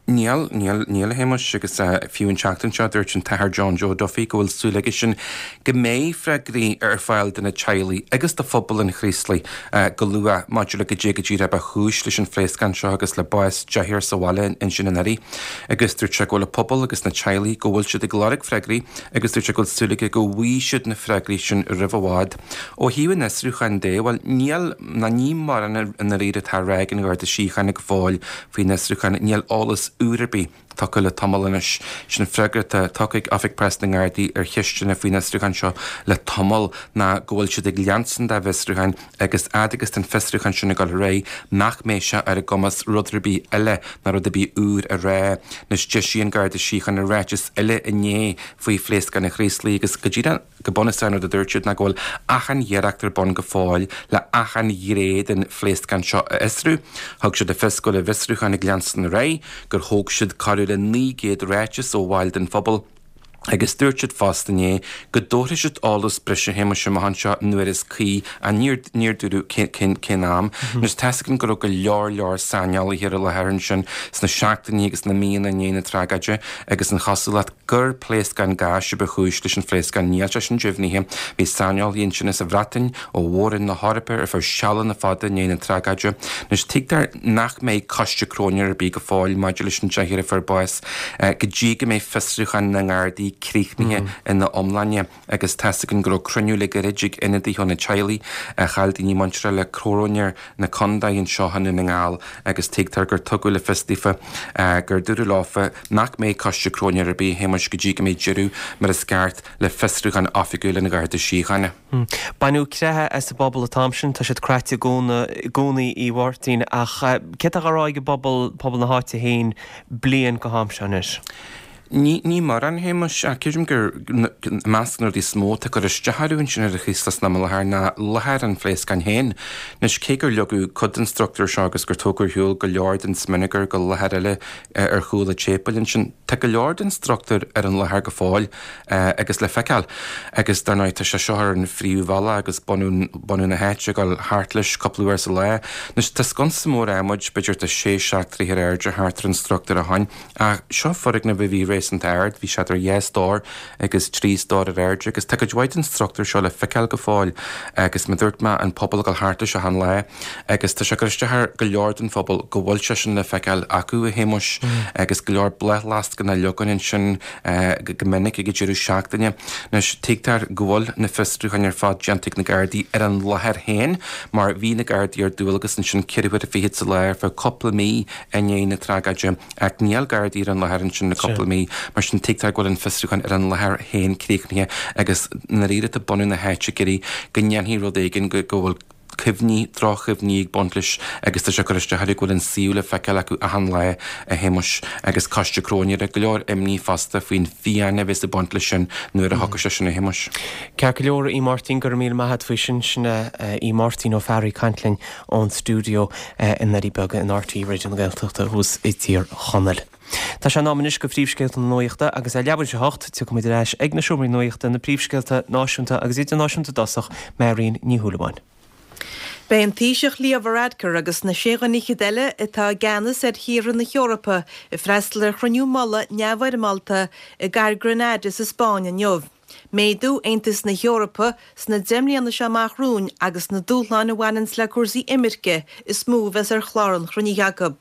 Níl, níl, níl a Shéamais, agus fiú an tseachtain seo dúirt an tAthair John Joe Duffy go bhfuil súil aigesean go mbeidh freagraí ar fáil do na teaghlaigh agus do phobal an Chraoslaigh go luath maidir le goidé go díreach ba chúis leis an phléascán seo agus le bás deichniúr sa bhaile ansin anuraidh. Agus dúirt sé go bhfuil an pobal agus na teaghlaigh go bhfuil siad ag lorg freagraí agus dúirt sé go bhfuil súil aige go bhfaighidh siad na freagraí sin roimh i bhfad. Ó thaobh an fhiosrúcháin de, bhuel, níl ná ní mórán i ndáiríre atá á rá ag an Gharda Síochána go fóill faoin fhiosrúchán, níl eolas úr ar bith tugtha le tamall anois. Sin freagra atá tugtha ag Oifig Preasa na nGardaí ar cheisteanna faoin fhiosrúchán seo le tamall ná go bhfuil siad ag leanstan dá bhfiosrúchán agus fhad agus tá an fiosrúchán sin ag dul ar aghaidh nach mbeidh sé ar a gcumas rud ar bith eile ná rud ar bith úr a rá. Anois d'eisigh an Garda Síochána ráiteas eile inné faoi phléascán an Chraoslaigh agus go díreach go bunúsach an rud a dúirt siad ná go bhfuil achan iarracht ar bun go fóill le achan ghné den phléascán seo a fhiosrú. Thug siad le fios go bhfuil a bhfiosrúchán ag leanstan ar aghaidh, gur thóg siad corradh le 900 ráiteas ó bhaill den phobal, agus dúirt siad fosta inné go dtabharfaidh siad eolas breise a Shéamais amach anseo nuair is cuí ach níor níor dúradh cén cén am. Anois tá's againn go raibh go leor leor saineolaithe ar an láthair ansin sna seachtainí agus na míonna i ndiaidh na tragóide agus an chosúlacht gur pléascán gáis a ba chúis leis an phléascán. Níl sé sin deimhnithe. Bhí saineolaithe ansin as an Bhreatain, ó mhór-roinn na hEorpa ar feadh sealanna fada i ndiaidh na tragóide. Anois tuigtear nach mbeidh coiste cróinéir ar bith go fóill maidir leis an deichniúr a fuair bás go dtí go mbeidh fiosrúchán na nGardaí críochnaithe ina iomláine agus tá's againn go raibh cruinniú le gairid ag ionadaithe ó na teaghlaigh a chaill daoine muinteartha le cróinéir na contae anseo i nDún na nGall agus tuigtear gur tugadh le fios daofa gur dúradh leofa nach mbeidh coiste cróinéir ar bith, a Shéamais, go dtí go mbeidh deireadh mar is ceart le fiosrúchán oifigiúil an Gharda Síochána. Baineadh creathadh as an bpobal an t-am sin, tá siad craite i gcónaí, a Mháirtín, ach céard atá á rá ag an bpobal, pobal na háite féin, bliain go ham seo anois? Ní mórán, a Shéamais, ach creidim gur i measc na rudaí is mó atá ag cur isteach orthu ansin ar an Chraoslach san am i láthair ná láthair an phléascáin féin. Anois, cé gur leagadh cuid den struchtúr seo agus gur tógadh ar shiúl go leor den smionagar go láthair eile ar chúl an tséipéil ansin, tá go leor den struchtúr ar an láthair go fóill agus le feiceáil. Agus dar ndóigh tá sé seo ar an phríomhbhealach agus bunadh na háite ag dul thart leis cúpla uair sa lá. Anois, tá sconsa mór adhmaid, b'fhéidir tá sé, seacht dtroithe ar airde thart ar an struchtúr ó shoin. Ach seo foirgneamh a bhí réasúnta ard, bhí sé idir dhá stór agus trí stór ar airde agus tá cuid mhaith den struchtúr seo le feiceáil go fóill agus mar a dúirt mé, an pobal ag dul thart leis achan lá agus tá sé ag cur isteach ar go leor den phobal go bhfuil sé sin le feiceáil acu, a Shéamuis, agus go leor bláthfhleascanna á leagan ansin go minic ag an deireadh seachtaine. Anois, tuigtear go bhfuil na fiosrúcháin ar fad déanta ag na Gardaí ar an láthair féin mar bhí na Gardaí ar dualgas ansin ceithre huaire fichead sa lá ar feadh cúpla mí i ndiaidh na tragóide, ach níl Gardaí ar an láthair ansin le cúpla mí, mar sin tuigtear go bhfuil an fiosrúchán ar an láthair féin críochnaithe agus i ndáiríre tá bunadh na háite ag iarraidh go ndéanfaí rud éigin, go bhfuil cuimhní, droch-chuimhní ag baint leis agus tá sé ag cur isteach orthu go bhfuil an suíomh le feiceáil acu achan lá, a Shéamuis, agus coiste cróinéara, go leor imní fosta faoin bhfiáine a bheas ag baint leis sin nuair a thiocfas sé sin, a Shéamuis. Ceart go leor, a Mháirtín, go raibh míle maith a't faoi sin. Sin í Máirtín Ó Fearraigh ag caint linn ón stiúideo i nDoirí Beaga in RTÉ Raidió na Gaeltachta thuas i dTír Chonaill. Tá sé in am anois do phríomhscéalta na nuachta agus ar leathuair tar éis a hocht tiocfaidh muid ar ais ag na seomraí nuachta, na príomhscéalta náisiúnta agus idirnáisiúnta i dtosach, Máirín Ní Shúilleabháin. Beidh an Taoiseach Leo Varadkar agus na sé dhuine fhichead eile atá i gceannas ar thíortha na hEorpa ag freastal ar chruinniú mullaigh neamhfhoirmeálta i gcathair Granada sa Spáinn inniu. Méadú Aontas na hEorpa sna 10 mbliana seo amach romhainn agus na dúshláin a bhaineanns le cúrsaí imirce is mó a bheas ar chlár an chruinnithe acu.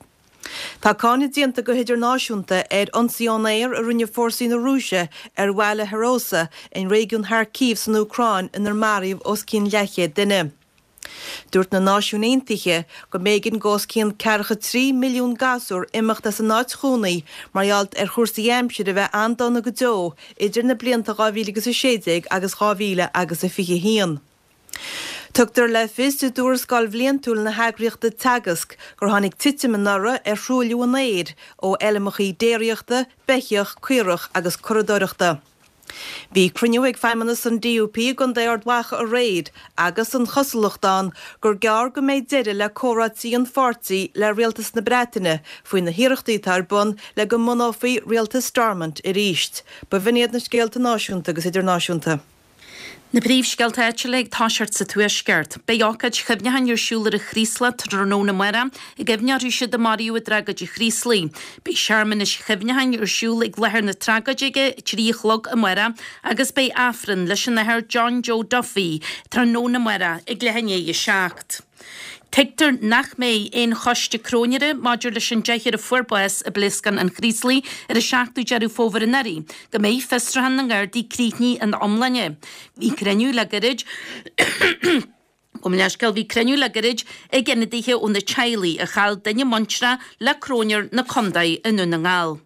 Tá cáineadh déanta go hidirnáisiúnta ar ionsaí ón aer a rinne fórsaí na Rúise ar bhaile Hroza in réigiún Kharkiv san Úcráin inar maraíodh os cionn leathchéad duine. Dúirt na Náisiúin Aontaithe go mb'éigean go os cionn ceathracha 3 milliún gasúr imeacht as a n-áit chónaí mar gheall ar chúrsaí aimsire a bheith an-dona go deo idir na blianta 2016 agus 2021. Tugtar le fios i dtuarascáil bhliantúil na heagraíochta Teagasc gur tháinig titim anuraidh ar thruailliú an aeir ó fheilmeacha déiríochta, beithíoch, caorach agus curadóireachta. Bhí cruinniú ag feidhmeannas an DUP i gContae Ard Mhacha aréir agus an chosúlacht ann gur gearr go mbeidh deireadh le comhráití an pháirtí le rialtas na Breataine faoi na hiarrachtaí atá ar bun le go mbunófaí rialtas Stormont arís. B'in iad na scéalta náisiúnta agus idirnáisiúnta. Na príomhscéalta áitiúla ag toiseacht sa Tuaisceart. Beidh ócáid chuimhneacháin ar siúl ar an Chraoslach tráthnóna amárach i gcuimhne orthu siúd a maraíodh i dtragóid an Chraoslaigh. Beidh searmanas chuimhneacháin ar siúl ag láthair na tragóide ag a 3 a chlog amárach agus beidh Aifreann leis an Athair John Joe Duffy tráthnóna amárach ag leath i ndiaidh a 7. Tuigtear nach mbeidh aon choiste cróinéara maidir leis an deichniúr a fuair bás i bpléascán an Chraoslaigh ar an 7ú Deireadh Fómhair anuraidh, go mbeidh fiosrúchán na nGardaí críochnaithe ina iomláine. Bhí cruinniú le gairid Gabh mo leithscéal, bhí cruinniú le gairid ag ionadaithe ó na teaghlaigh a chaill duine muintreach le cróinéir na contae i nDún na nGall.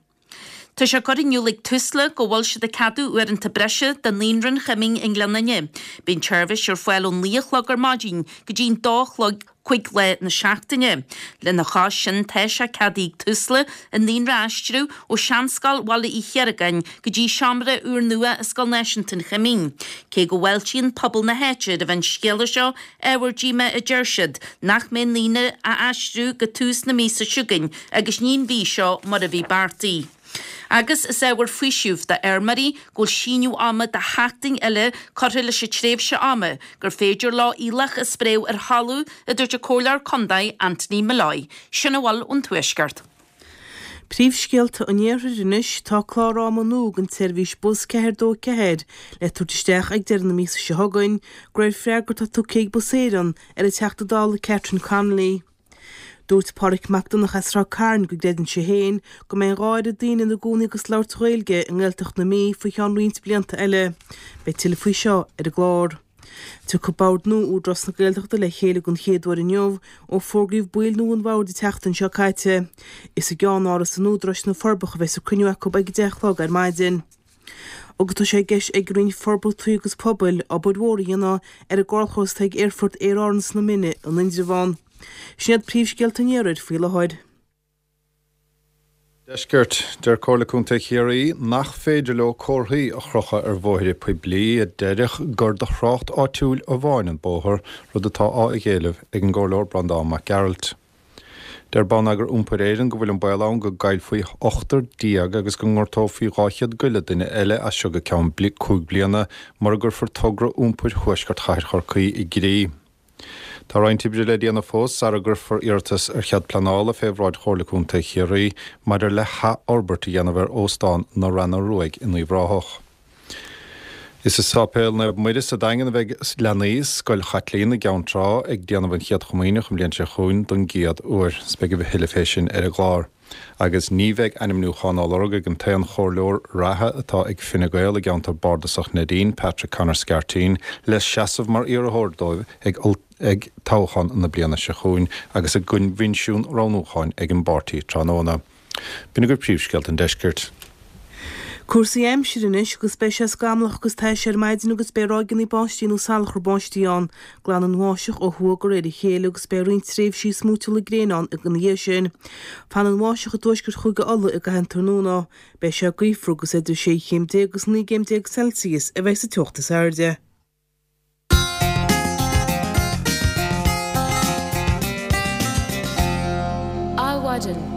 Tá sé curtha in iúl ag Tusla go bhfuil siad ag ceadú uaireanta breise do Naíonra an Choimín i nGleann Fhinne. Beidh an tseirbhís ar fáil ón 9 a chlog ar maidin go dtí an 2 a chlog 5 lá na seachtaine. Lena chois sin tá sé ceadaithe ag Tusla an naíonra a aistriú ó Seanscoil Bhaile Uí Chiaracáin go dtí seomra úrnua i Scoil Náisiúnta an Choimín. Cé go bhfáiltíonn pobal na háite roimh an scéala seo, Ábhar díomá a deir siad nach mbeidh an naíonra á aistriú go tús na míosa seo chugainn agus ní an mhí seo mar a bhí beartaithe. Agus is ábhar faoisimh do fheirmeoirí go bhfuil síneadh ama de sheachtain eile curtha leis an tréimhse ama gur féidir leo aoileach a spréadh ar thalamh, a dúirt an Comhairleoir Contae Anthony Molloy. Sin a bhfuil ón Tuaisceart. Príomhscéalta an Iarthair anois, tá clár ama nua don tseirbhís bus 4 2 4 le tabhairt isteach ag deireadh na míosa seo chugainn, de réir freagra atá tugtha ag Bus Éireann ar an Teachta Dála Catherine Connolly. Dúirt Pádraic Mac Donncha as Ráth Cairn go gcreideann sé féin go mbeidh an dhá oiread daoine ina gcónaí agus ag labhairt Gaeilge i nGaeltacht na Mí faoi cheann roinnt blianta eile. Beidh tuilleadh faoi seo ar an gclár. Tiocfaidh Bord nua Údarás na Gaeltachta le chéile den chéad uair inniu ó fógraíodh baill nua an bhoird an tseachtain seo caite. Is i gceannáras an Údaráis na Forbacha a bheas an cruinniú acu ag 10 a chlog ar maidin. Agus tá sé i gceist ag an Roinn Forbartha Tuaithe agus Pobail obair mhór a dhéanamh ar an gcarrchlós atá ag Aerfort Aer Árann sna Mine in Indreabhán. Sin iad príomhscéalta an Iarthair faoi láthair. Deiscirt. Deir Comhairle Contae Chiarraí nach féidir leo comharthaí a chrochadh ar bhóithre poiblí a déarfadh gur do thrácht áitiúil amháin an bóthar, rud atá á éileamh ag an gComhairleoir Breandán Mac Gearailt. Deir Bonneagar Iompair Éireann go bhfuil an baol ann go gcaillfí 18 agus go ngortófaí 200 go leith duine eile as seo go ceann 5 bliana mura gcuirfear togra iompair thuaisceart chathair Chorcaí i gcrích. Tá roinnt oibre le déanamh fós sara gcuirfear iarratas ar chead pleanála fé bhráid Chomhairle Contae Chiarraí maidir le hathfhorbairt a dhéanamh ar Óstán na Reanna Ruaidh in Uíbh Ráthach. Is i Sáipéal Naomh Muire sa Daingean a bheidh leanaí Scoil Chaitlín i gCeann Trá ag déanamh an Chéad Chomaoineach an bhliain seo chugainn don gcéad uair. 'S beidh a thuilleadh fé sin ar an gclár. Agus ní bheidh ainmniúchán á lorg ag an t-aon chomhairleoir reatha atá ag Fine Gael i gceantar bardasach Neidín, Patrick Conor Scarteen, le seasamh mar iarrthóir dóibh ag ag toghchán na bliana seo chugainn agus a gcoinbhinsiún roghnúcháin ag an bpáirtí tráthnóna. B'in agaibh príomhscéalta an deiscirt. Cúrsaí aimsire anois agus beidh sé scamallach agus tais ar maidin agus beidh ráigeanna báistí nó salachar báistí ann. Glanfaidh an bháisteach ó thuaidh de réir a chéile agus beidh roinnt tréimhsí smúitiúla gréine ann ina dhiaidh sin. Fanfaidh an bháisteach i dtuaisceart Chúige Uladh i gcaitheamh an tráthnóna. Beidh sé gaofar agus idir 16 chéim agus 19 gcéim Celsius a bheidh sa teocht is airde. Adhmhaidin.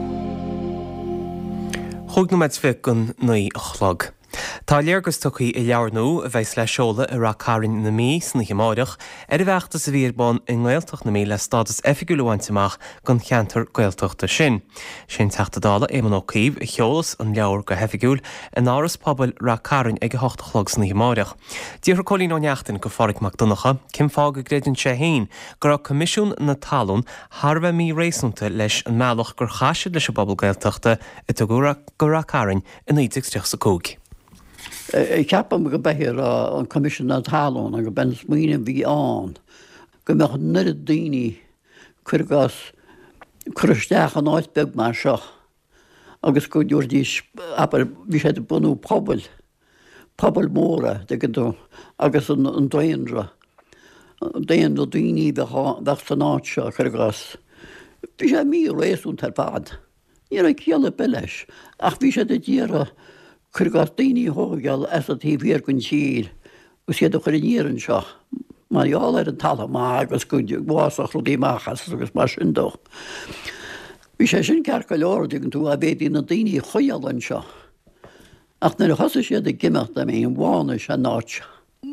Chúig nóiméad is fiche don naoi a chlog. Tá léargas tugtha i leabhar nua, a bheas le seoladh i Rath Cairn na Mí san oíche amáireach, ar an bhfeachtas a bhí ar bun i nGaeltacht na Mí le stádas oifigiúil a bhaint amach don cheantar Gaeltachta sin. Sé an Teachta Dála Éamon Ó Cuív a sheolfas an leabhar go hoifigiúil in Áras Pobail Rath Cairn ag a hocht a chlog san oíche amáireach. D'fhiafraigh Cóilín Ó Neachtain de Phádhraic Mac Donncha cén fáth go gcreideann sé féin go raibh Coimisiún na Talún thar a bheith mí-réasúnta leis an mbealach gur chaith siad leis an bpobal Gaeltachta a tugadh go Rath Cairn i 1935. Ceapaim go b'é a raibh an Coimisiún na Talún agus b'é an smaoineamh a bhí ann go mbeadh an oiread daoine, cuir i gcás, cur isteach in áit beag mar seo agus go dtabharfaidís, abair, bhí siad ag bunú pobail, pobail mhóra, tuigeann tú, agus an daonra, daonra daoine a bheadh ann, bheadh san áit seo, cuir i gcás. Bhí sé mí-réasúnta ar fad. Ní raibh ciall ar bith leis, ach bhí siad ag iarraidh, cuir i gcás, daoine a thógáil as an taobh thiar den tír agus iad a chur aniar anseo mar gheall ar an talamh maith agus go bhfásfadh rudaí amach as agus mar sin dó. Bhí sé sin ceart go leor, an dtuigeann tú, dá bhféadfaí na daoine a choinneáil anseo. Ach nuair a thosaigh siad ag imeacht, I mean, bhánaigh sé an áit seo.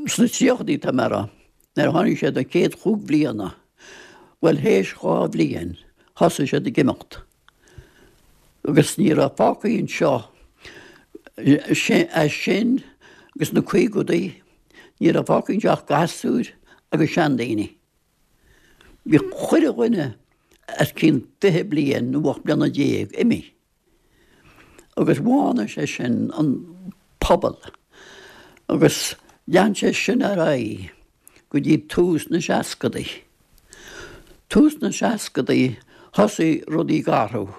Sna tríochadaí, tá mé a rá, nuair a tháinig siad an chéad chúig bhliana, bhuel, théis dhá bhliain, thosaigh siad ag imeacht. Agus ní raibh fágtha anseo as sin agus na caogadaí, ní raibh fágtha anseo ach gasúir agus seandaoine. Bhí chuile dhuine os cionn 20 bliain nó 18 bliana imithe. Agus bhánaigh sé sin an pobal. Agus lean sé sin ar aghaidh go dtí tús na seascadaí. Tús na seascadaí thosaigh rudaí ag athrú.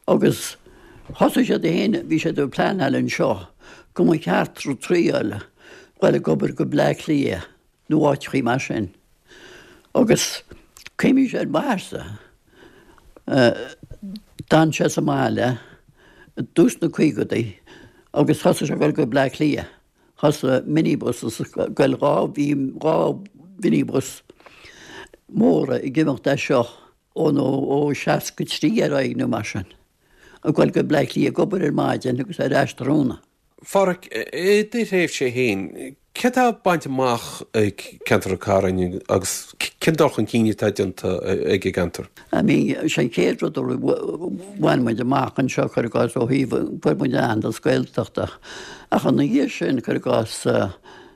Agus thosaigh siad féin, bhí siad ag pleanáil anseo go mba cheart triail dul ag obair go Bleá Cliath nó áiteachaí mar sin. Agus cuimhnímse ar m'athairse, d'fhan sé sa mbaile i dtús na caogadaí agus thosaigh sé ag dul go Bleá Cliath. Thosaigh minibuses ag dul, bhí dhá mhinibus móra ag imeacht as seo ó nó ó 63 ar aghaidh nó mar sin, ag dul go Bleá Cliath ag obair ar maidin agus ar ais tráthnóna. A Phádhraic, i do thréimhse féin, céard atá bainte amach ag ceantar Ráth Cairn agus cén dul chun cinn atá déanta ag an gceantar? I mean, sé an chéad rud a bhain muid amach anseo, cuir i gcás, ó thaobh, fuair muid aitheantas Gaeltachta. Ach ina dhiaidh sin, cuir i gcás,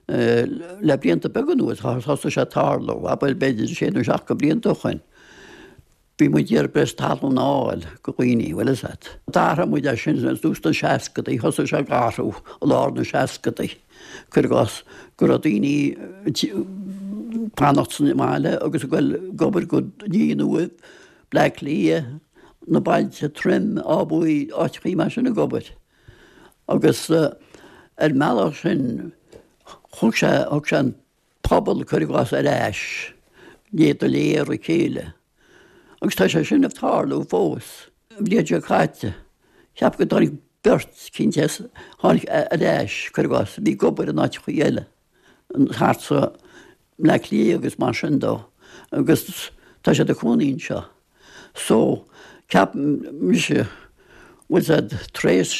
le blianta beaga anuas, thosaigh sé ag tarlú, abair b'fhéidir sé nó seacht de bhlianta ó shoin. Bhí muid ag iarraidh breis talún a fháil go dhaoine, bhfuil fhios a't. D'athraigh muid é sin i dtús na seascadaí, thosaigh sé ag athrú i lár na seascadaí, cuir i gcás, go raibh daoine ag fanacht sa mbaile agus ag goil ag obair go Ní Nuadh, Bleá Cliath, na bailte Troim, Áth Buí, áiteachaí mar sin ag obair. Agus ar an mbealach sin thug sé, thug sé an pobal, cuir i gcás, ar ais, iad go léir a chéile. Agus tá sé sin ag tarlú fós. An bhliain seo caite, Cheap go dtáinig beirt cinnte as, tháinig ar ais, cuir i gcás, a bhí ag obair in áiteachaí eile, thart sa mBleá Cliath agus mar sin dó, agus tá siad ina cónaí anseo. So, ceapaim mise, bhfuil 's a'd, tar éis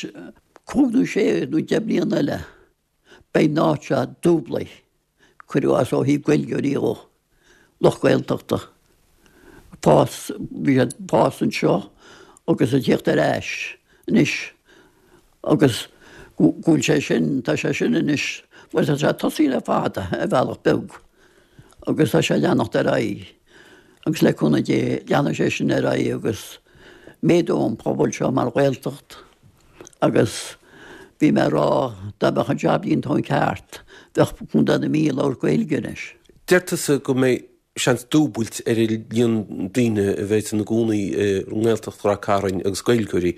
cúig nó sé nó deich mbliana eile, beidh an áit seo dúblaithe, cuir i gcás ó thaobh Gaeilgeoirí dhó, lucht Gaeltachta. Fás, bhí siad ag fás anseo agus ag tíocht ar ais anois agus go bhfuil sé sin, tá sé sin anois, bhuel tá sé tosaithe le fada ar bhealach beag agus tá sé ag leanacht ar aghaidh agus le cúnamh Dé leanfaidh sé sin ar aghaidh agus méadóidh an pobal seo mar Ghaeltacht. Agus bhí mé ag rá dá mbeadh an jab déanta ón ceart, bheadh Contae na Mí ag labhairt Gaeilge anois. Deir tusa go mbeidh seans dúbailt ar an líon daoine a bheidh ina gcónaí i nGaeltacht Ráth Cairn agus Gaeilgeoirí.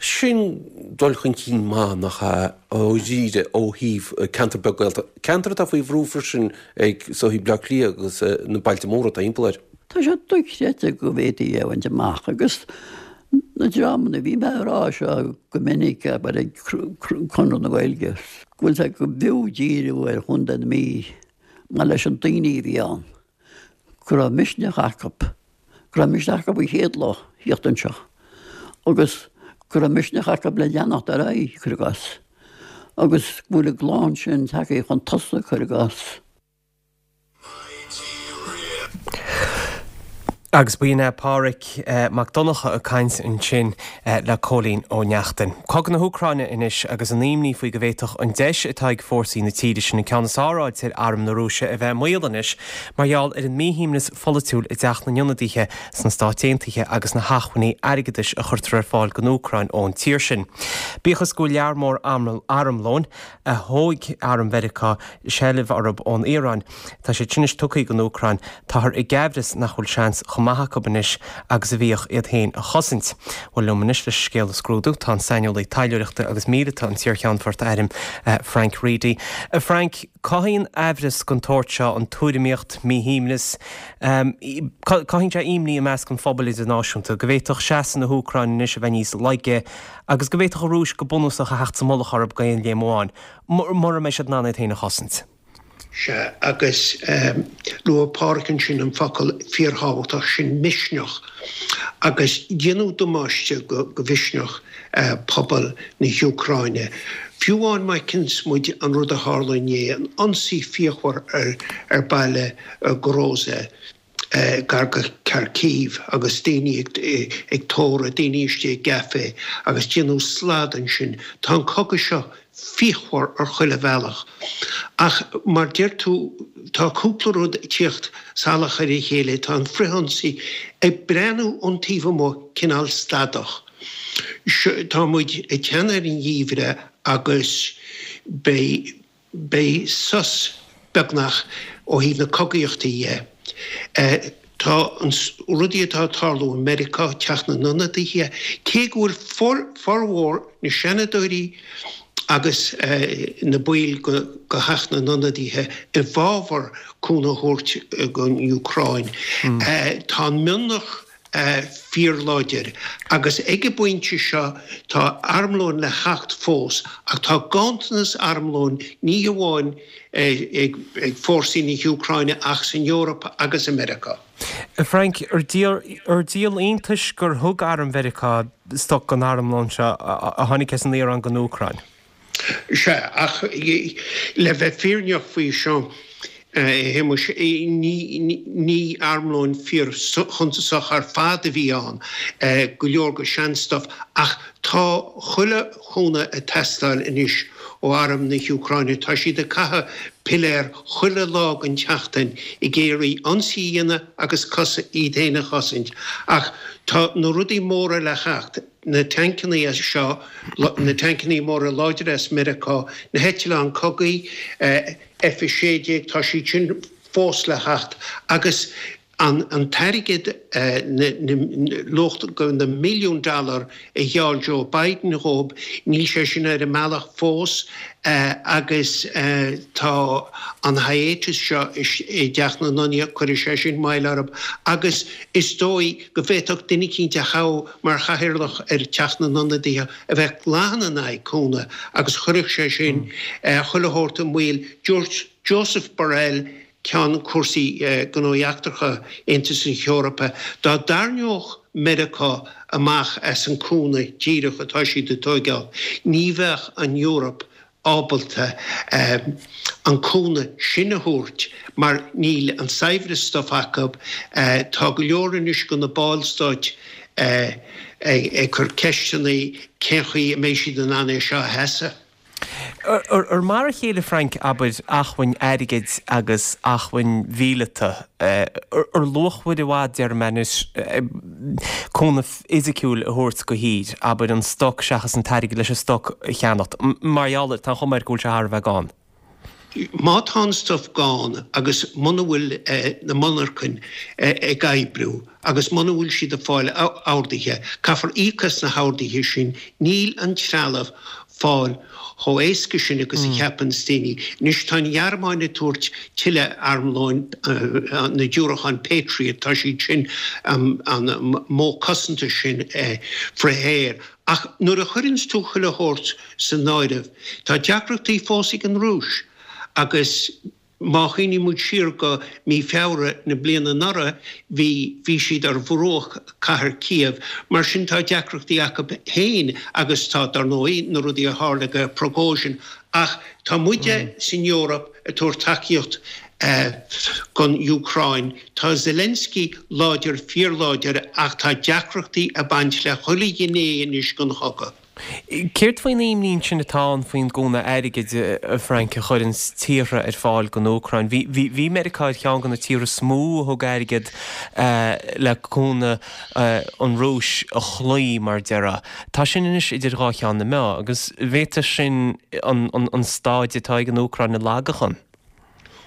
Sin dul chun cinn maith, nach ea, dháiríre ó thaobh ceantar beag Gaeltachta, ceantar atá faoi bhrú freisin ag sochaí Bleá Cliath agus na bailte móra atá thimpeall air. Tá sé dochreidte go bhféadfaí é a bhaint amach agus na dreamanna, bhí mé ag rá seo go minic, abair ag Conradh na Gaeilge, go bhfuil sé go b'fhiú díriú ar Chontae na Mí mar leis an daoine a bhí ann, go raibh misneach acu, go raibh misneach acu an chéad lá thíocht anseo agus go raibh misneach acu le leanacht ar aghaidh, cuir i gcás, agus go bhfuil an gclann sin tagtha chun tosaigh, cuir i gcás. Agus b'in é Pádhraic Mac Donncha ag caint ansin le Cóilín Ó Neachtain. Cogadh na hÚcráine anois agus an imní faoi go bhféadfadh an deis atá ag fórsaí na tíre sin an ceann is fearr a fháilt ar arm na Rúise a bheith i mbaol anois mar gheall ar an míshuaimhneas pholaitiúil i dTeach na nIonadaithe sna Stáit Aontaithe agus na hacmhainní airgeadais a chuirtear ar fáil don Úcráin ón tír sin. Bíodh is go bhfuil lear mór armlóin a thóg arm Mheiriceá seilbh orthu ón Iaráin. Tá siad sin anois tugtha don Úcráin. Táthar i gcaimhreas nach bhfuil seans chomh maith acu anois agus a bhíodh iad féin a chosaint. Bhuel, liom anois leis an scéal a scrúdú, tá an saineolaí taidhleoireachta agus míleata, an t-iarCheannfort airm, Frank Reidy. A Frank, cothaíonn aimhreas den tsórt seo, an tuairimíocht, míshuaimhneas, cothaíonn sé imní i measc an phobail idirnáisiúnta go bhféadfadh seasamh na hÚcráine anois a bheith níos laige agus go bhféadfadh an Rúis go bunúsach a theacht sa mullach orthu d'aon léim amháin, mura mbeidh siad in ann iad féin a chosaint. Sea, agus luaigh Pádhraic ansin an focal fíorthábhachtach sin, misneach. Agus déanadh damáiste go mhisneach pobal na hÚcráine. Fiú amháin má fheiceanns muid an rud a tharla inné, an ionsaí fíochmhar ar baile Hroza, gar go Kharkiv agus daoine ag tórramh, daoine istigh i gcaife agus déanadh slad ansin. Tá an cogadh seo fíochmhar ar chuile bhealach. Ach mar deir tú, tá cúpla rud ag tíocht salach ar a chéile. Tá an frithionsaí ag breathnú ón taobh amuigh cineál stadach. Tá muid ag teannadh ar an gheimhreadh agus beidh. Beidh sos, beagnach, ó thaobh na cogaíochta dhe. Tá an rudaí atá ag tarlú i Meiriceá, Teach na nIonadaithe, cé go bhfuil formhór na Seanadóirí agus na baill de Theach na nIonadaithe i bhfabhar cúnamh a thabhairt don Úcráin, tá an mionlach fíorláidir agus ag an bpointe seo tá armlón le theacht fós ach tá ganntanas armlóin ní hamháin ag fórsaí na hÚcráine ach san Eoraip agus i Meiriceá. A Frank, ar díol iontais gur thug arm Mheiriceá stoc den armlón seo a tháinig as an Iaráin don Úcráin? Sea, ach le bheith fírinneach faoi seo, a Shéamuis, ní armlón fíor-shuntasach ar fad a bhí ann, go leor de shean-stuff, ach tá chuile chúnamh ag teastáil anois ó arm na hÚcráine. Tá siad ag caitheamh piléar chuile lá den tseachtain ag iarraidh ionsaí a dhéanamh agus iad féin a chosaint. Ach tá na rudaí móra le theacht. na tancannaí seo, na tancannaí móra láidre as Meiriceá, na heitleáin cogaidh, F-16, tá siad sin fós le theacht agus. An t-airgead, luach na milliún dollar a gheall Joe Biden dhóibh, níl sé sin ar an mbealach fós agus tá an hiatus seo i dTeach na nIonadaithe, cuirfidh sé sin moill orthu agus is dóigh go bhféadfadh duine eicínt a thoghadh mar chathaoirleach ar Theach na nIonadaithe a bheith glan in aghaidh cúnamh agus chuirfeadh sé sin chuile shórt i mbaol. Dúirt Josep Borrell, Ceann Cúrsaí Gnóthaí Eachtracha Aontas na hEorpa, dá dtarraingeodh Meiriceá amach as an cúnamh díreach atá siad ag tóigeáil, ní bheadh an Eoraip ábalta an cúnamh sin a thabhairt mar níl an saibhreas stuif acu. Tá go leor anois de na ballstáit ag cur ceisteanna cén chaoi a mbeidh siad in ann é seo a sheasamh. Ar mar a chéile, Frank, abair, acmhainn airgid agus acmhainn mhíleata, ar luachmhaire i bhfad, déarfaidh mé anois, cúnamh fisiciúil a thabhairt do thír, abair, an stoc seachas an t-airgead leis an stoc a cheannacht, mar gheall ar, tá an chuma air go bhfuil sé thar a bheith gann. Má tá an stuif gann agus muna bhfuil na monarchain ag oibriú agus muna bhfuil siad ag fáil orduithe, caithfear íoc as na horduithe sin, níl an trealamh fáil chomh éasca sin agus a cheapanns daoine. Anois tá an Ghearmáin ag tabhairt tuilleadh armlóin, na diúracáin Patriot, tá siad sin, an modh cosanta sin frith-aeir. Ach nuair a chuireanns tú chuile shórt san áireamh, tá deacrachtaí fós ag an Rúis agus má chuimhníonn muid siar go mí Feabhra na bliana anuraidh, bhí, bhí siad ar bhruach cathair Kiev. Mar sin tá deacrachtaí acu féin agus tá, dar ndóigh, na rudaí a tharla go Prigozhin. Ach tá muide san Eoraip ag tabhairt tacaíocht don Úcráin. Tá Zelensky láidir, fíorláidir, ach tá deacrachtaí ag baint le chuile ghné anois den chogadh. Céard faoin imní ansin atá ann faoin gcúnamh airgid, a Frank, a chuireanns tíortha ar fáil don Úcráin? Bhí, bhí Meiriceá ar cheann de na tíortha is mó a thug airgead le cúnamh an Rúis a chloí, mar a déarfá. Tá sin anois idir dhá cheann na meá agus an bhféadfadh sin an staid atá ag an Úcráin a lagachan.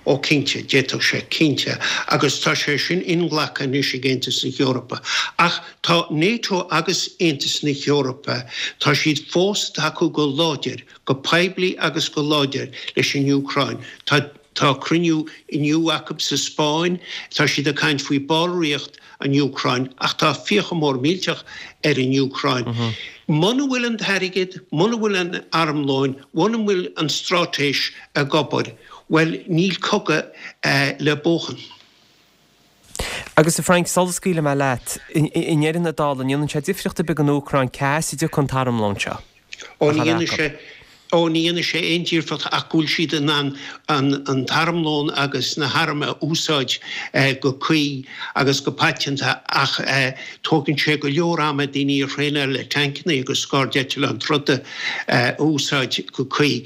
Ó cinnte, d'fhéadfadh sé, cinnte, agus tá sé sin inghlactha anois ag Aontas na hEorpa. Ach tá NATO agus Aontas na hEorpa, tá siad fós ag tacú go láidir, go poiblí agus go láidir leis an Úcráin. Tá tá cruinniú inniu acu sa Spáinn, tá siad ag caint faoi ballraíocht an Úcráin, ach tá fiacha mór millteach ar an Úcráin. Muna bhfuil an t-airgead, muna bhfuil an armlóin, muna bhfuil an straitéis ag obair, bhuel, níl cogadh le buachan. Agus a Frank, sula scaoilfidh mé leat, i ndeireadh na dála, an ndéanann sé difríocht ar bith don Úcráin cá as a dtiocfaidh an t-armlón seo? Ó, ní dhéanfaidh sé, ó, ní dhéanfaidh sé aon difríocht ach go bhfuil siad in ann an t-armlón agus na hairm a úsáid go cuí agus go paiteanta ach tógann sé go leor ama daoine a thraenáil le tancanna agus scairdeitleáin troda a úsáid go cuí.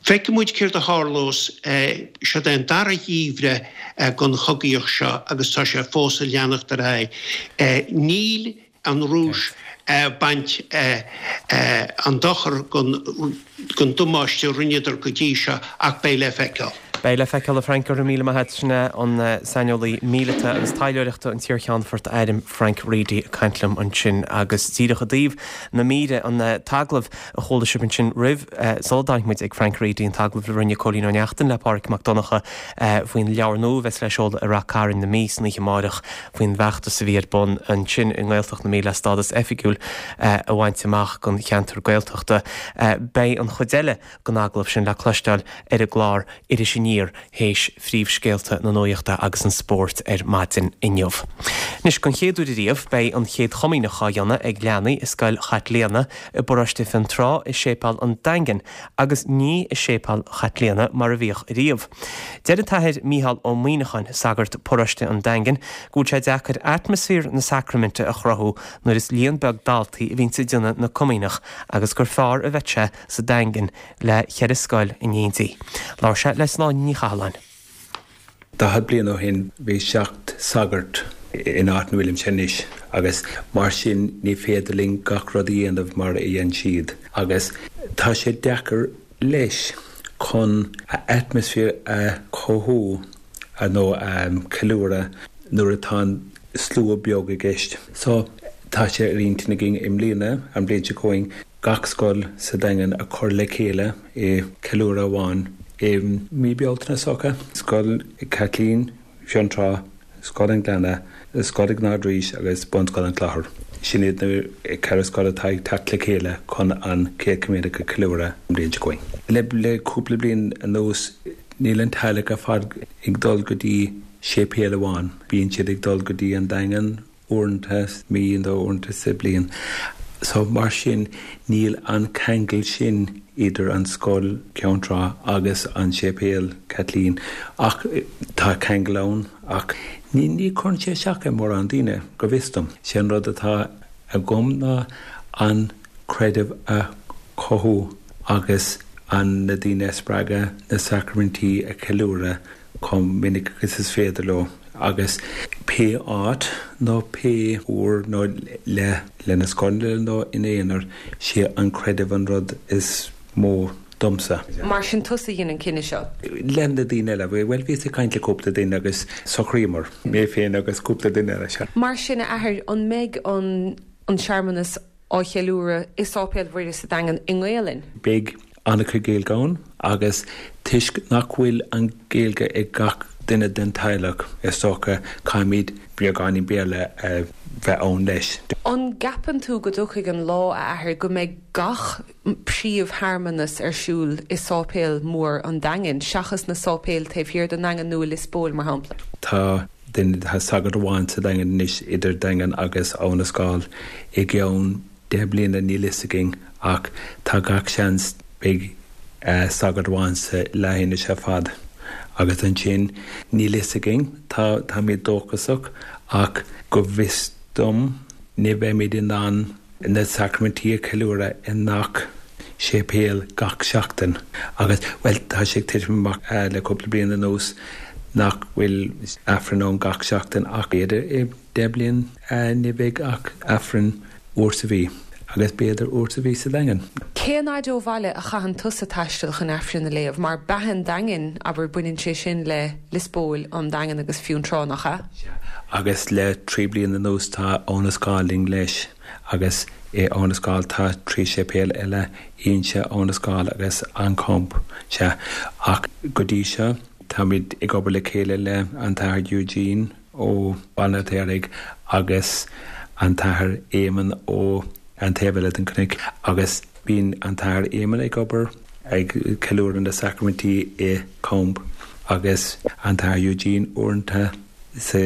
Feicfidh muid céard a tharlós. Seod é an dara gheimhreadh den chogaíocht seo agus tá sé fós ag leanacht ar aghaidh. Níl an Rúis ag baint an dochar den damáiste a rinneadar go dtí seo ach beidh le feiceáil. Beidh le feiceáil, a Frank. Go raibh míle maith agat. Sin é an saineolaí míleata agus taidhleoireachta, an t-iarcheannfort airm Frank Reidy ag caint liom ansin agus díreach i dtaobh na míre, an t-agallamh a chuala sibh ansin roimh, sula dtáinig muid ag Frank Reidy, an t-agallamh a rinne Cóilín Ó Neachtain le Pádraig Mac Donncha faoin leabhar nua a bheas le seoladh i Rath Cairn na Mí san oíche amáireach, faoin bhfeachtas a bhí ar bun ansin i nGaeltacht na Mí le stádas oifigiúil a bhaint amach don cheantar Gaeltachta. Beidh an chuid eile den agallamh sin le cloisteáil ar an gclár Iris Aniar théis phríomhscéalta na nuachta agus an spóirt ar maidin inniu. Anois, don chéad uair ariamh, beidh an Chéad Chomaoineach á dhéanamh ag leanaí i Scoil Chaitlíona i bparóiste Fionntrá i Séipéal an Daingin agus ní i Séipéal Chaitlíona mar a bhíodh ariamh. Deir an tAthair Mícheál Ó Muíneacháin, sagart paróiste an Daingin, go bhfuil sé deacair atmaisféar na sacraiminte a chruthú nuair is líon beag daltaí a bhíonns ag déanamh na Comaoineach agus gur fearr a bheadh sé sa Daingean le cheithre scoil in éindí. Labhair sé le Sláine Ní Chathalláin. 40 bliain ó shin bhí 7 sagart in áit na bhfuilimse anois agus mar sin ní féidir linn gach rud a dhéanamh mar a dhein siad agus tá sé deacair leis chun atmaisféar a chothú. nó a cheiliúradh nuair atá an slua beag i gceist. So, tá sé ar intinn againn i mbliana, an bhliain seo chugainn, gach scoil sa Daingean a chur le chéile i ceiliúradh amháin i mí Bealtaine is dócha. Scoil Chaitlín Fionntrá, Scoil an Ghleanna, Scoil an Ardrís agus Bunscoil an Chlochair. Sin iad na ceithre scoil atá ag teacht le chéile chun an Chéad Chomaoineach a cheiliúradh an bhliain seo chugainn. Le cúpla bliain anuas níl an teaghlach ar fad ag dul go dtí séipéal amháin. Bíonn siad ag dul go dtí an Daingean uaireanta sa mhí nó uaireanta sa bhliain. So mar sin níl an ceangal sin idir an scoil, Ceann Trá, agus an séipéal, Caitlín, ach tá ceangal ann ach ní ní chuireann sé isteach ar mórán daoine, go bhfios dom. Sé an rud atá agam ná an creideamh a chothú agus an na daoine a spreagadh na sacraimintí a cheiliúradh chomh minic agus is féidir leo agus pé áit nó pé uair nó le lena scoil nó ina aonar, sé an creideamh an rud is mó domsa. Mar sin tusa a dhein an cinneadh seo? Le na daoine eile. Bhuel bhíos ag caint le cúpla duine agus socraíomar, mé féin agus cúpla duine eile, sea. Mar sin a athair, an mbeidh an an searmanas á cheiliúradh i Sáipéal Mhuire sa Daingean i nGaelainn? Beidh an-chuid Gaeilge ann agus toisc nach bhfuil an Ghaeilge ag gach duine den teaghlach, is dócha, caithfimid beagáinín Béarla a bheith ann leis. An gceapann tú go dtiocfaidh an lá, a athair, go mbeidh gach príomhshearmanas ar siúl i sáipéal mór an Daingin, seachas na sáipéil taobh thiar den nDaingean nó i Lios Póil, mar shampla? Tá duine, tá sagart amháin sa Daingean anois, idir Daingean agus Abha na Scáil. I gceann 10 bliana níl fhios againn ach tá gach seans beidh sagart amháin sa leathinis ar fad agus ansin níl fhios againn, tá, táimid dóchasach ach go bhfios dom ní bheimid in ann na sacraimintí a cheiliúradh i ngach séipéal gach seachtain agus, bhuel, tá sé ag titim amach le cúpla bliain anuas nach bhfuil Aifreann ann gach seachtain ach b'fhéidir i 10 bliain ní bheidh ach Aifreann uair sa mhí agus b'fhéidir uair sa mhí sa Daingean. Cén fhaid ó bhaile a chaitheann tusa taisteal chun Aifreann a léamh? Mar beatha an Daingin, abair, baineann sé sin le Lios Póil, an Daingean agus Fionntrá, nach ea? Sea, agus le 3 bliana anuas tá Abha na Scáil linn leis agus i Abha na Scáil tá 3 séipéal eile, Inse, Abha na Scáil agus An Camp, sea. Ach go dtí seo táimid ag obair le chéile le an tAthair Eugene ó Bhaile an Fheirtéaraigh agus an tAthair Éamonn ó an taobh eile den chnoic agus bíonn an tAthair Éamonn ag obair ag ceiliúradh na sacraimintí i Camp agus an tAthair Eugene uaireanta sa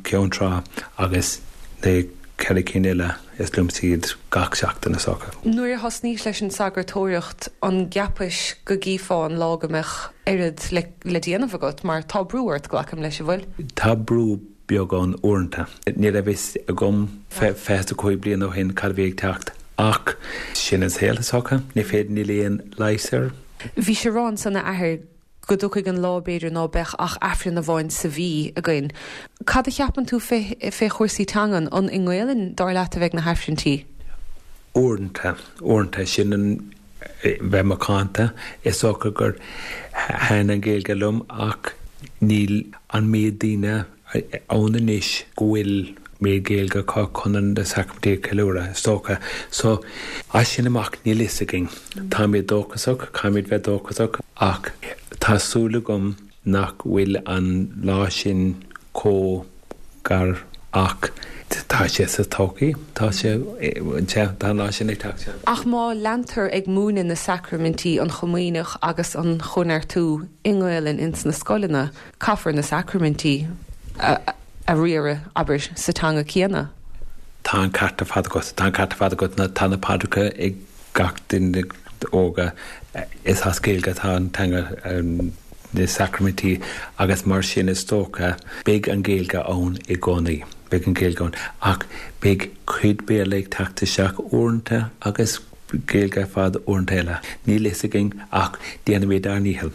Cheann Trá agus na ceithre cinn eile is liomsa iad gach seachtain is dócha. Nuair a thosnaís leis an sagartóireacht an gceapais go gcífeá an lá go mbeadh oiread le le déanamh agat mar tá brú ort, glacaim leis, an bhfuil? Tá brú beag ann uaireanta. Ní raibh fhios agam 25 bliain ó shin cad a bhí ag teacht ach sin an saol is dócha. Ní féidir, níl aon leigheas air. Bhís ag rá ansan a athair go dtiocfaidh an lá b'fhéidir ná beadh ach Aifreann amháin sa mhí againn. Cad a cheapann tú fé fé chúrsaí teangan? An i nGaelainn dar leat a bheidh na hAifrinntí? Uaireanta, uaireanta. Sin an bheith macánta. Is dócha gur thaitin an Ghaeilge liom ach níl an méid daoine ann anois go bhfuil méid Gaeilge acu chun na sacraimintí a cheiliúradh, is dócha. So, as sin amach níl fhios againn. Táimid dóchasach, caithfimid bheith dóchasach ach tá súil agam nach bhfuil an lá sin chomh gar ach tá sé sa todhchaí, tá sé, sea, tá an lá sin ag teacht, sea. Ach má leantar ag múineadh na sacraimintí, an Chomaoineach agus an Chóineartú i nGaelainn ins na scoileanna, caithfear na sacraimintí a riaradh, abair, sa teanga céanna. Tá an ceart ar fad agat, tá an ceart ar fad agat, tá na paidreacha ag gach duine óga, is as Gaeilge atá an teanga, na sacraimintí agus mar sin is dócha beidh an Ghaeilge ann i gcónaí, beidh an Ghaeilge ann ach beidh cuid Béarla ag teacht isteach uaireanta agus Gaeilge ar fad uaireanta eile. Níl fhios againn ach déanfaimid ár ndícheall.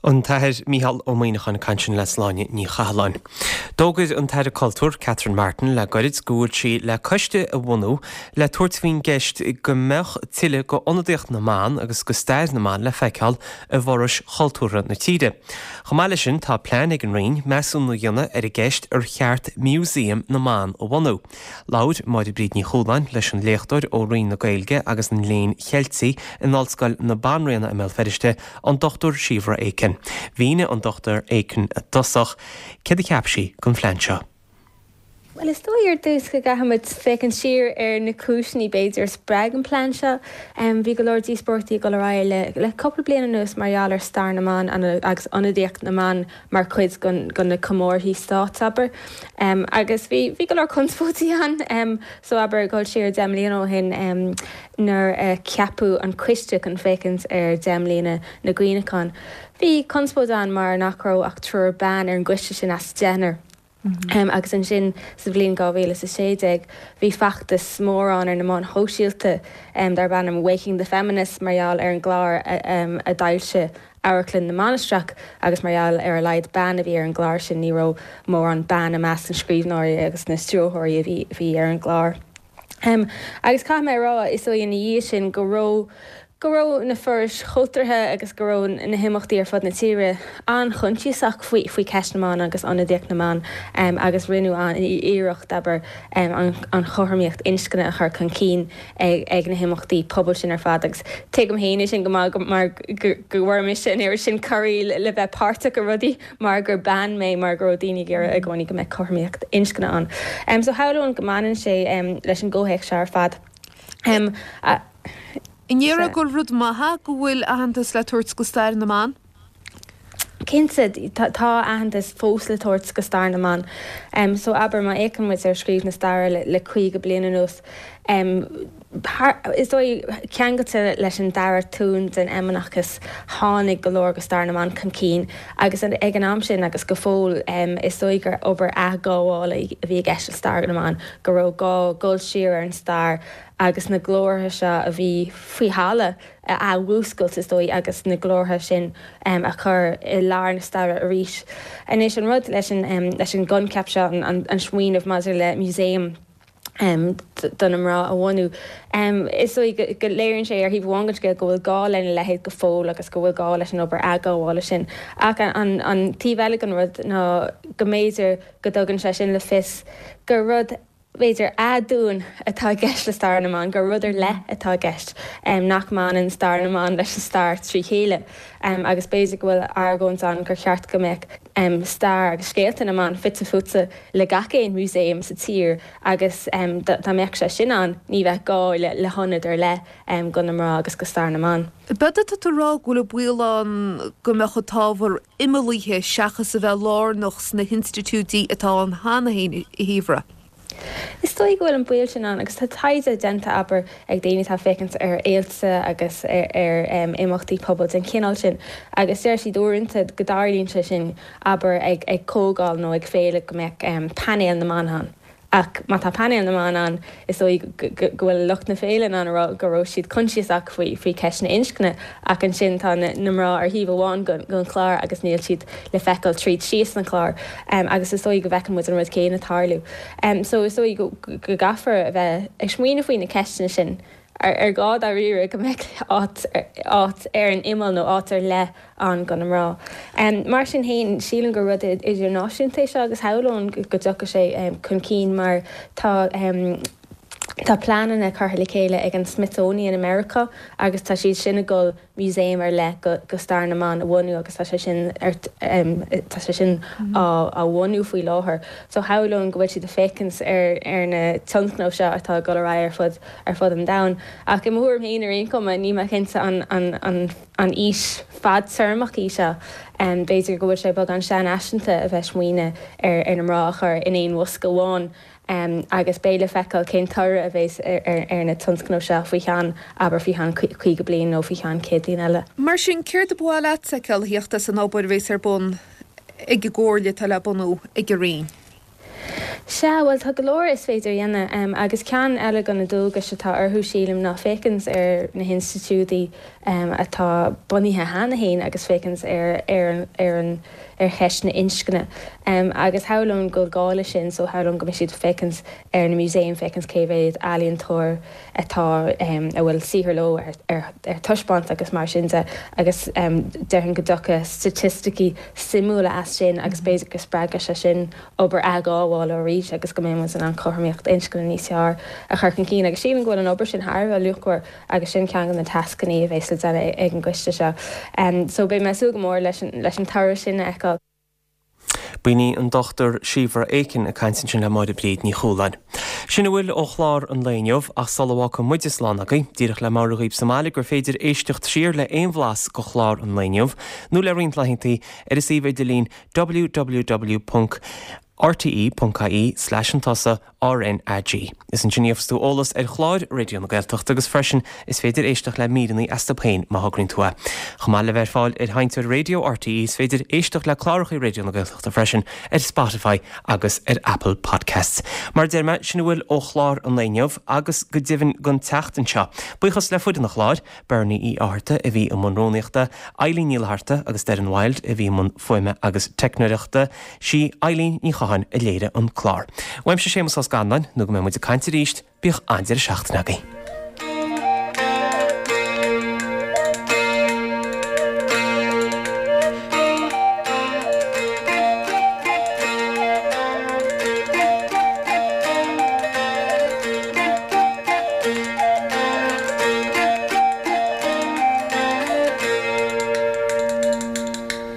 An tAthair Mícheál Ó Muíneacháin ag caint ansin le Sláine Ní Chathalláin. D'fhógair an tAire Cultúir, Catherine Martin, le goirid go bhfuil sí le coiste a bhunú le tabhairt faoin gceist go mbeadh tuilleadh go ionadaíocht na mban agus go stair na mban le feiceáil i bhforais chultúrtha na tíre. Chomh maith leis sin tá plean ag an Roinn measúnú a dhéanamh ar an gceist ar cheart Músaem na mBan a bhunú. Labhair Máire Bríd Ní Chualáin leis an léachtóir ó Roinn na Gaeilge agus an Léinn Cheiltigh in Ollscoil na Banríona i mBéal Feirste, an Dr Síobhra Aiken. Mhínigh an Dr Aiken i dtosach céard a cheap sí den phlean seo. Bhuel, is dóigh ar dtús go gcaithfimid féachaint siar ar na cúiseanna b'fhéidir a spreag an plean seo. Bhí go leor díospóireachtaí ag dul ar aghaidh le cúpla bliain anuas mar gheall ar stair na mban agus ionadaíocht na mban mar chuid de na comórthaí stáit, abair. Agus bhí, bhí go leor conspóidí ann. So, abair, dul siar 10 mbliana ó shin nuair a ceapadh an coiste chun féachaint ar 10 mbliana na gcuimhneachán, bhí conspóid ann mar nach raibh ach triúr bean ar an gcoiste sin as deichniúr. Agus ansin sa bhliain 2016 bhí feachtas mór ann ar na meáin shóisialta darb ainm Waking the Feminists mar gheall ar an gclár a d'fhoilsigh Amharclann na Mainistreach agus mar gheall ar a laghad bean a bhí ar an gclár sin ní raibh mórán bean i measc na scríbhneoirí agus na stiúrthóirí a bhí ar an gclár. Agus caithfidh mé a rá, is dóigh ina dhiaidh sin go raibh go raibh na forais chultúrtha agus go raibh na himeachtaí ar fud na tíre an-choinsiasach faoi faoi cheist na mban agus ionadaíocht na mban agus rinneadh an-iarracht, abair, an chothromaíocht inscne a chur chun cinn ag na himeachtaí pobail sin ar fad agus tuigim féin é sin go maith mar go bhfuair mise an oiread sin cuirí le bheith páirteach i rudaí mar gur bean mé mar go raibh daoine ag iarraidh i gcónaí go mbeadh cothromaíocht inscne ann. So shamhlóinn go mbaineann sé leis an gcomhthéacs seo ar fad. An ndéarfá gur rud maith é go bhfuil aitheantas le tabhairt go stair na mban? Cinnte, tá aitheantas fós le tabhairt go stair na mban. So, abair, má fhéachann muid ar scríobh na staire le 50 bliain anuas, is dóigh, ceangailte leis an dara tonn den fheimineachas, tháinig go leor go stair na mban chun cinn agus ag an am sin agus go fóill, is dóigh gur obair athghabhála a bhí i gceist le stair na mban, go raibh gá dul siar ar an stair agus na glórtha seo a bhí faoi thalamh a athmhúscailt, is dóigh, agus na glórtha sin a chur i lár na staire arís. Anois, an rud leis an leis an gcoincheap seo, an smaoineamh maidir le museum do na mná a bhunú, is dóigh go léiríonn sé ar thaobh amháin den scéal go bhfuil gá lena leithéid go fóill agus go bhfuil gá leis an obair athghabhála sin. Ach an taobh eile den rud ná go mb'fhéidir go dtugann sé sin le fios gur rud b'fhéidir, aduain atá i gceist le stair na mban, gur rud ar leith atá i gceist, nach mbaineann stair na mban leis an stair trí chéile. Agus b'fhéidir go bhfuil argóint ann gur cheart go mbeadh stair agus scéalta na mban fite fuaite le gach aon mhúsaem sa tír agus dá mbeadh sé sin ann, ní bheadh gá le hionad ar leith go na mná agus go stair na mban. B'fhéidir tá tú ag rá go bhfuil an baol ann go mbeadh an t-ábhar imeallaithe seachas a bheith lárnach sna hinstitiúidí atá ann cheana féin, a Shíobhra. Is dóigh go bhfuil an baol sin ann agus tá taighde déanta, abair, ag daoine atá ag féachaint ar fhéilte agus ar imeachtaí pobail den chineál sin agus deir siad uaireanta go dtarlaíonn sé sin, abair, ag comhdháil nó ag féile go mbeadh painéal na mban ann Ach má tá painéal na mban ann, is dóigh go bhfuil lucht na féile in ann a rá go raibh siad coinsiasach faoi faoi cheist na inscne, ach ansin tá na mná ar thaobh amháin den chlár agus níl siad le feiceáil tríd síos an chlár. Agus is dóigh go bhfeiceann muid an rud céanna ag tarlú. So is dóigh go gcaithfear a bheith ag smaoineamh faoi na ceisteanna sin. Ar gá dáiríre go mbeadh áit áit ar an imeall nó áit ar leith ann go na mná? Mar sin féin, sílim gur rud idirnáisiúnta é seo agus shamhlóinn go dtiocfaidh sé chun cinn mar tá tá pleananna curtha le chéile ag an Smithsonian i Meiriceá agus tá siad sin ag dul museum ar leith go stair na mban a bhunú agus tá sé sin ar tá sé sin á á bhunú faoi láthair. So shamhlóinn go bhfuil siad ag féachaint ar ar na tionscnaimh seo atá ag dul ar aghaidh ar fud ar fud an domhain. Ach i mo thuairim féin ar aon chuma níl mé cinnte an an an an fhís fadtéarmach í seo. B'fhéidir go bhfuil sé beagán seanfhaiseanta a bheith ag smaoineamh ar ar na mná a chur in aon bhosca amháin. Agus beidh le feiceáil cén toradh a bheas ar na tionscnaimh seo faoi cheann, abair, faoi cheann 50 bliain nó faoi cheann 100 bliain eile. Mar sin, céard a ba mhaith leat a fheiceáil a theacht as an obair a bheas ar bun ag an gcomhairle atá le bunú ag an Roinn? Sea, bhuel tá go leor is féidir a dhéanamh agus ceann eile de na dualgais atá orthu, sílim, ná féachaint ar na hinstitiúidí atá bunaithe cheana féin agus féachaint ar ar ar an ar cheist na inscne. Agus shamhlóinn go bhfuil gá leis sin so shamhlóinn go mbeidh siad ag féachaint ar na músaeim, féachaint cé mhéad ealaíontóir atá a bhfuil saothar leo ar ar taispeáint agus mar sin de agus déarfainn go dtiocfaidh staitisticí suimiúla as sin agus b'fhéidir go spreagfaidh sé sin obair athghabhála arís agus go mbeidh muid in ann cothromaíocht inscne níos fearr a chur chun cinn agus sílim go bhfuil an obair sin thar a bheith luachmhar agus sin ceann de na tascanna a bheas le déanamh ag an gcoiste seo. So beidh mé ag súil go mór leis an leis an toradh sin a fheiceáil. B'in í an Dr Síobhra Aiken ag caint ansin le Máire Bríd Ní Chualáin. Sin a bhfuil ó chlár an lae inniu, ach sula bhfágfaidh muide slán agaibh, díreach le meabhrú dhaoibh sa mbaile gur féidir éisteacht siar le aon bhlas de chlár an lae inniu, nó le roinnt laethantaí, ar an suíomh idirlín www.rte.ie slash an tusa RnaG. Is ansin a gheobhas tú eolas ar chláir Raidió na Gaeltachta agus freisin is féidir éisteacht le míreanna astu féin má thograíonn tú é. Chomh maith le bheith ar fáil ar sheinnteoir raidió RTÉ is féidir éisteacht le cláracha Raidió na Gaeltachta freisin ar Spotify agus ar Apple Podcasts. Mar a deir mé, sin a bhfuil ó chlár an lae inniu agus go deimhin don tseachtain seo. Buíochas le foireann an chláir, Bernie Uí Fhátharta a bhí i mbun rúnaíochta, Eileen Ní Fhlatharta agus Doireann Wilde a bhí i mbun fuaime agus teicneoireachta, sí Eileen Ní Chatháin a léirigh an clár. Uaimse Séamus Ó Scanláin, nó go mbeidh muid ag caint arís, bíodh an-deireadh seachtaine agaibh.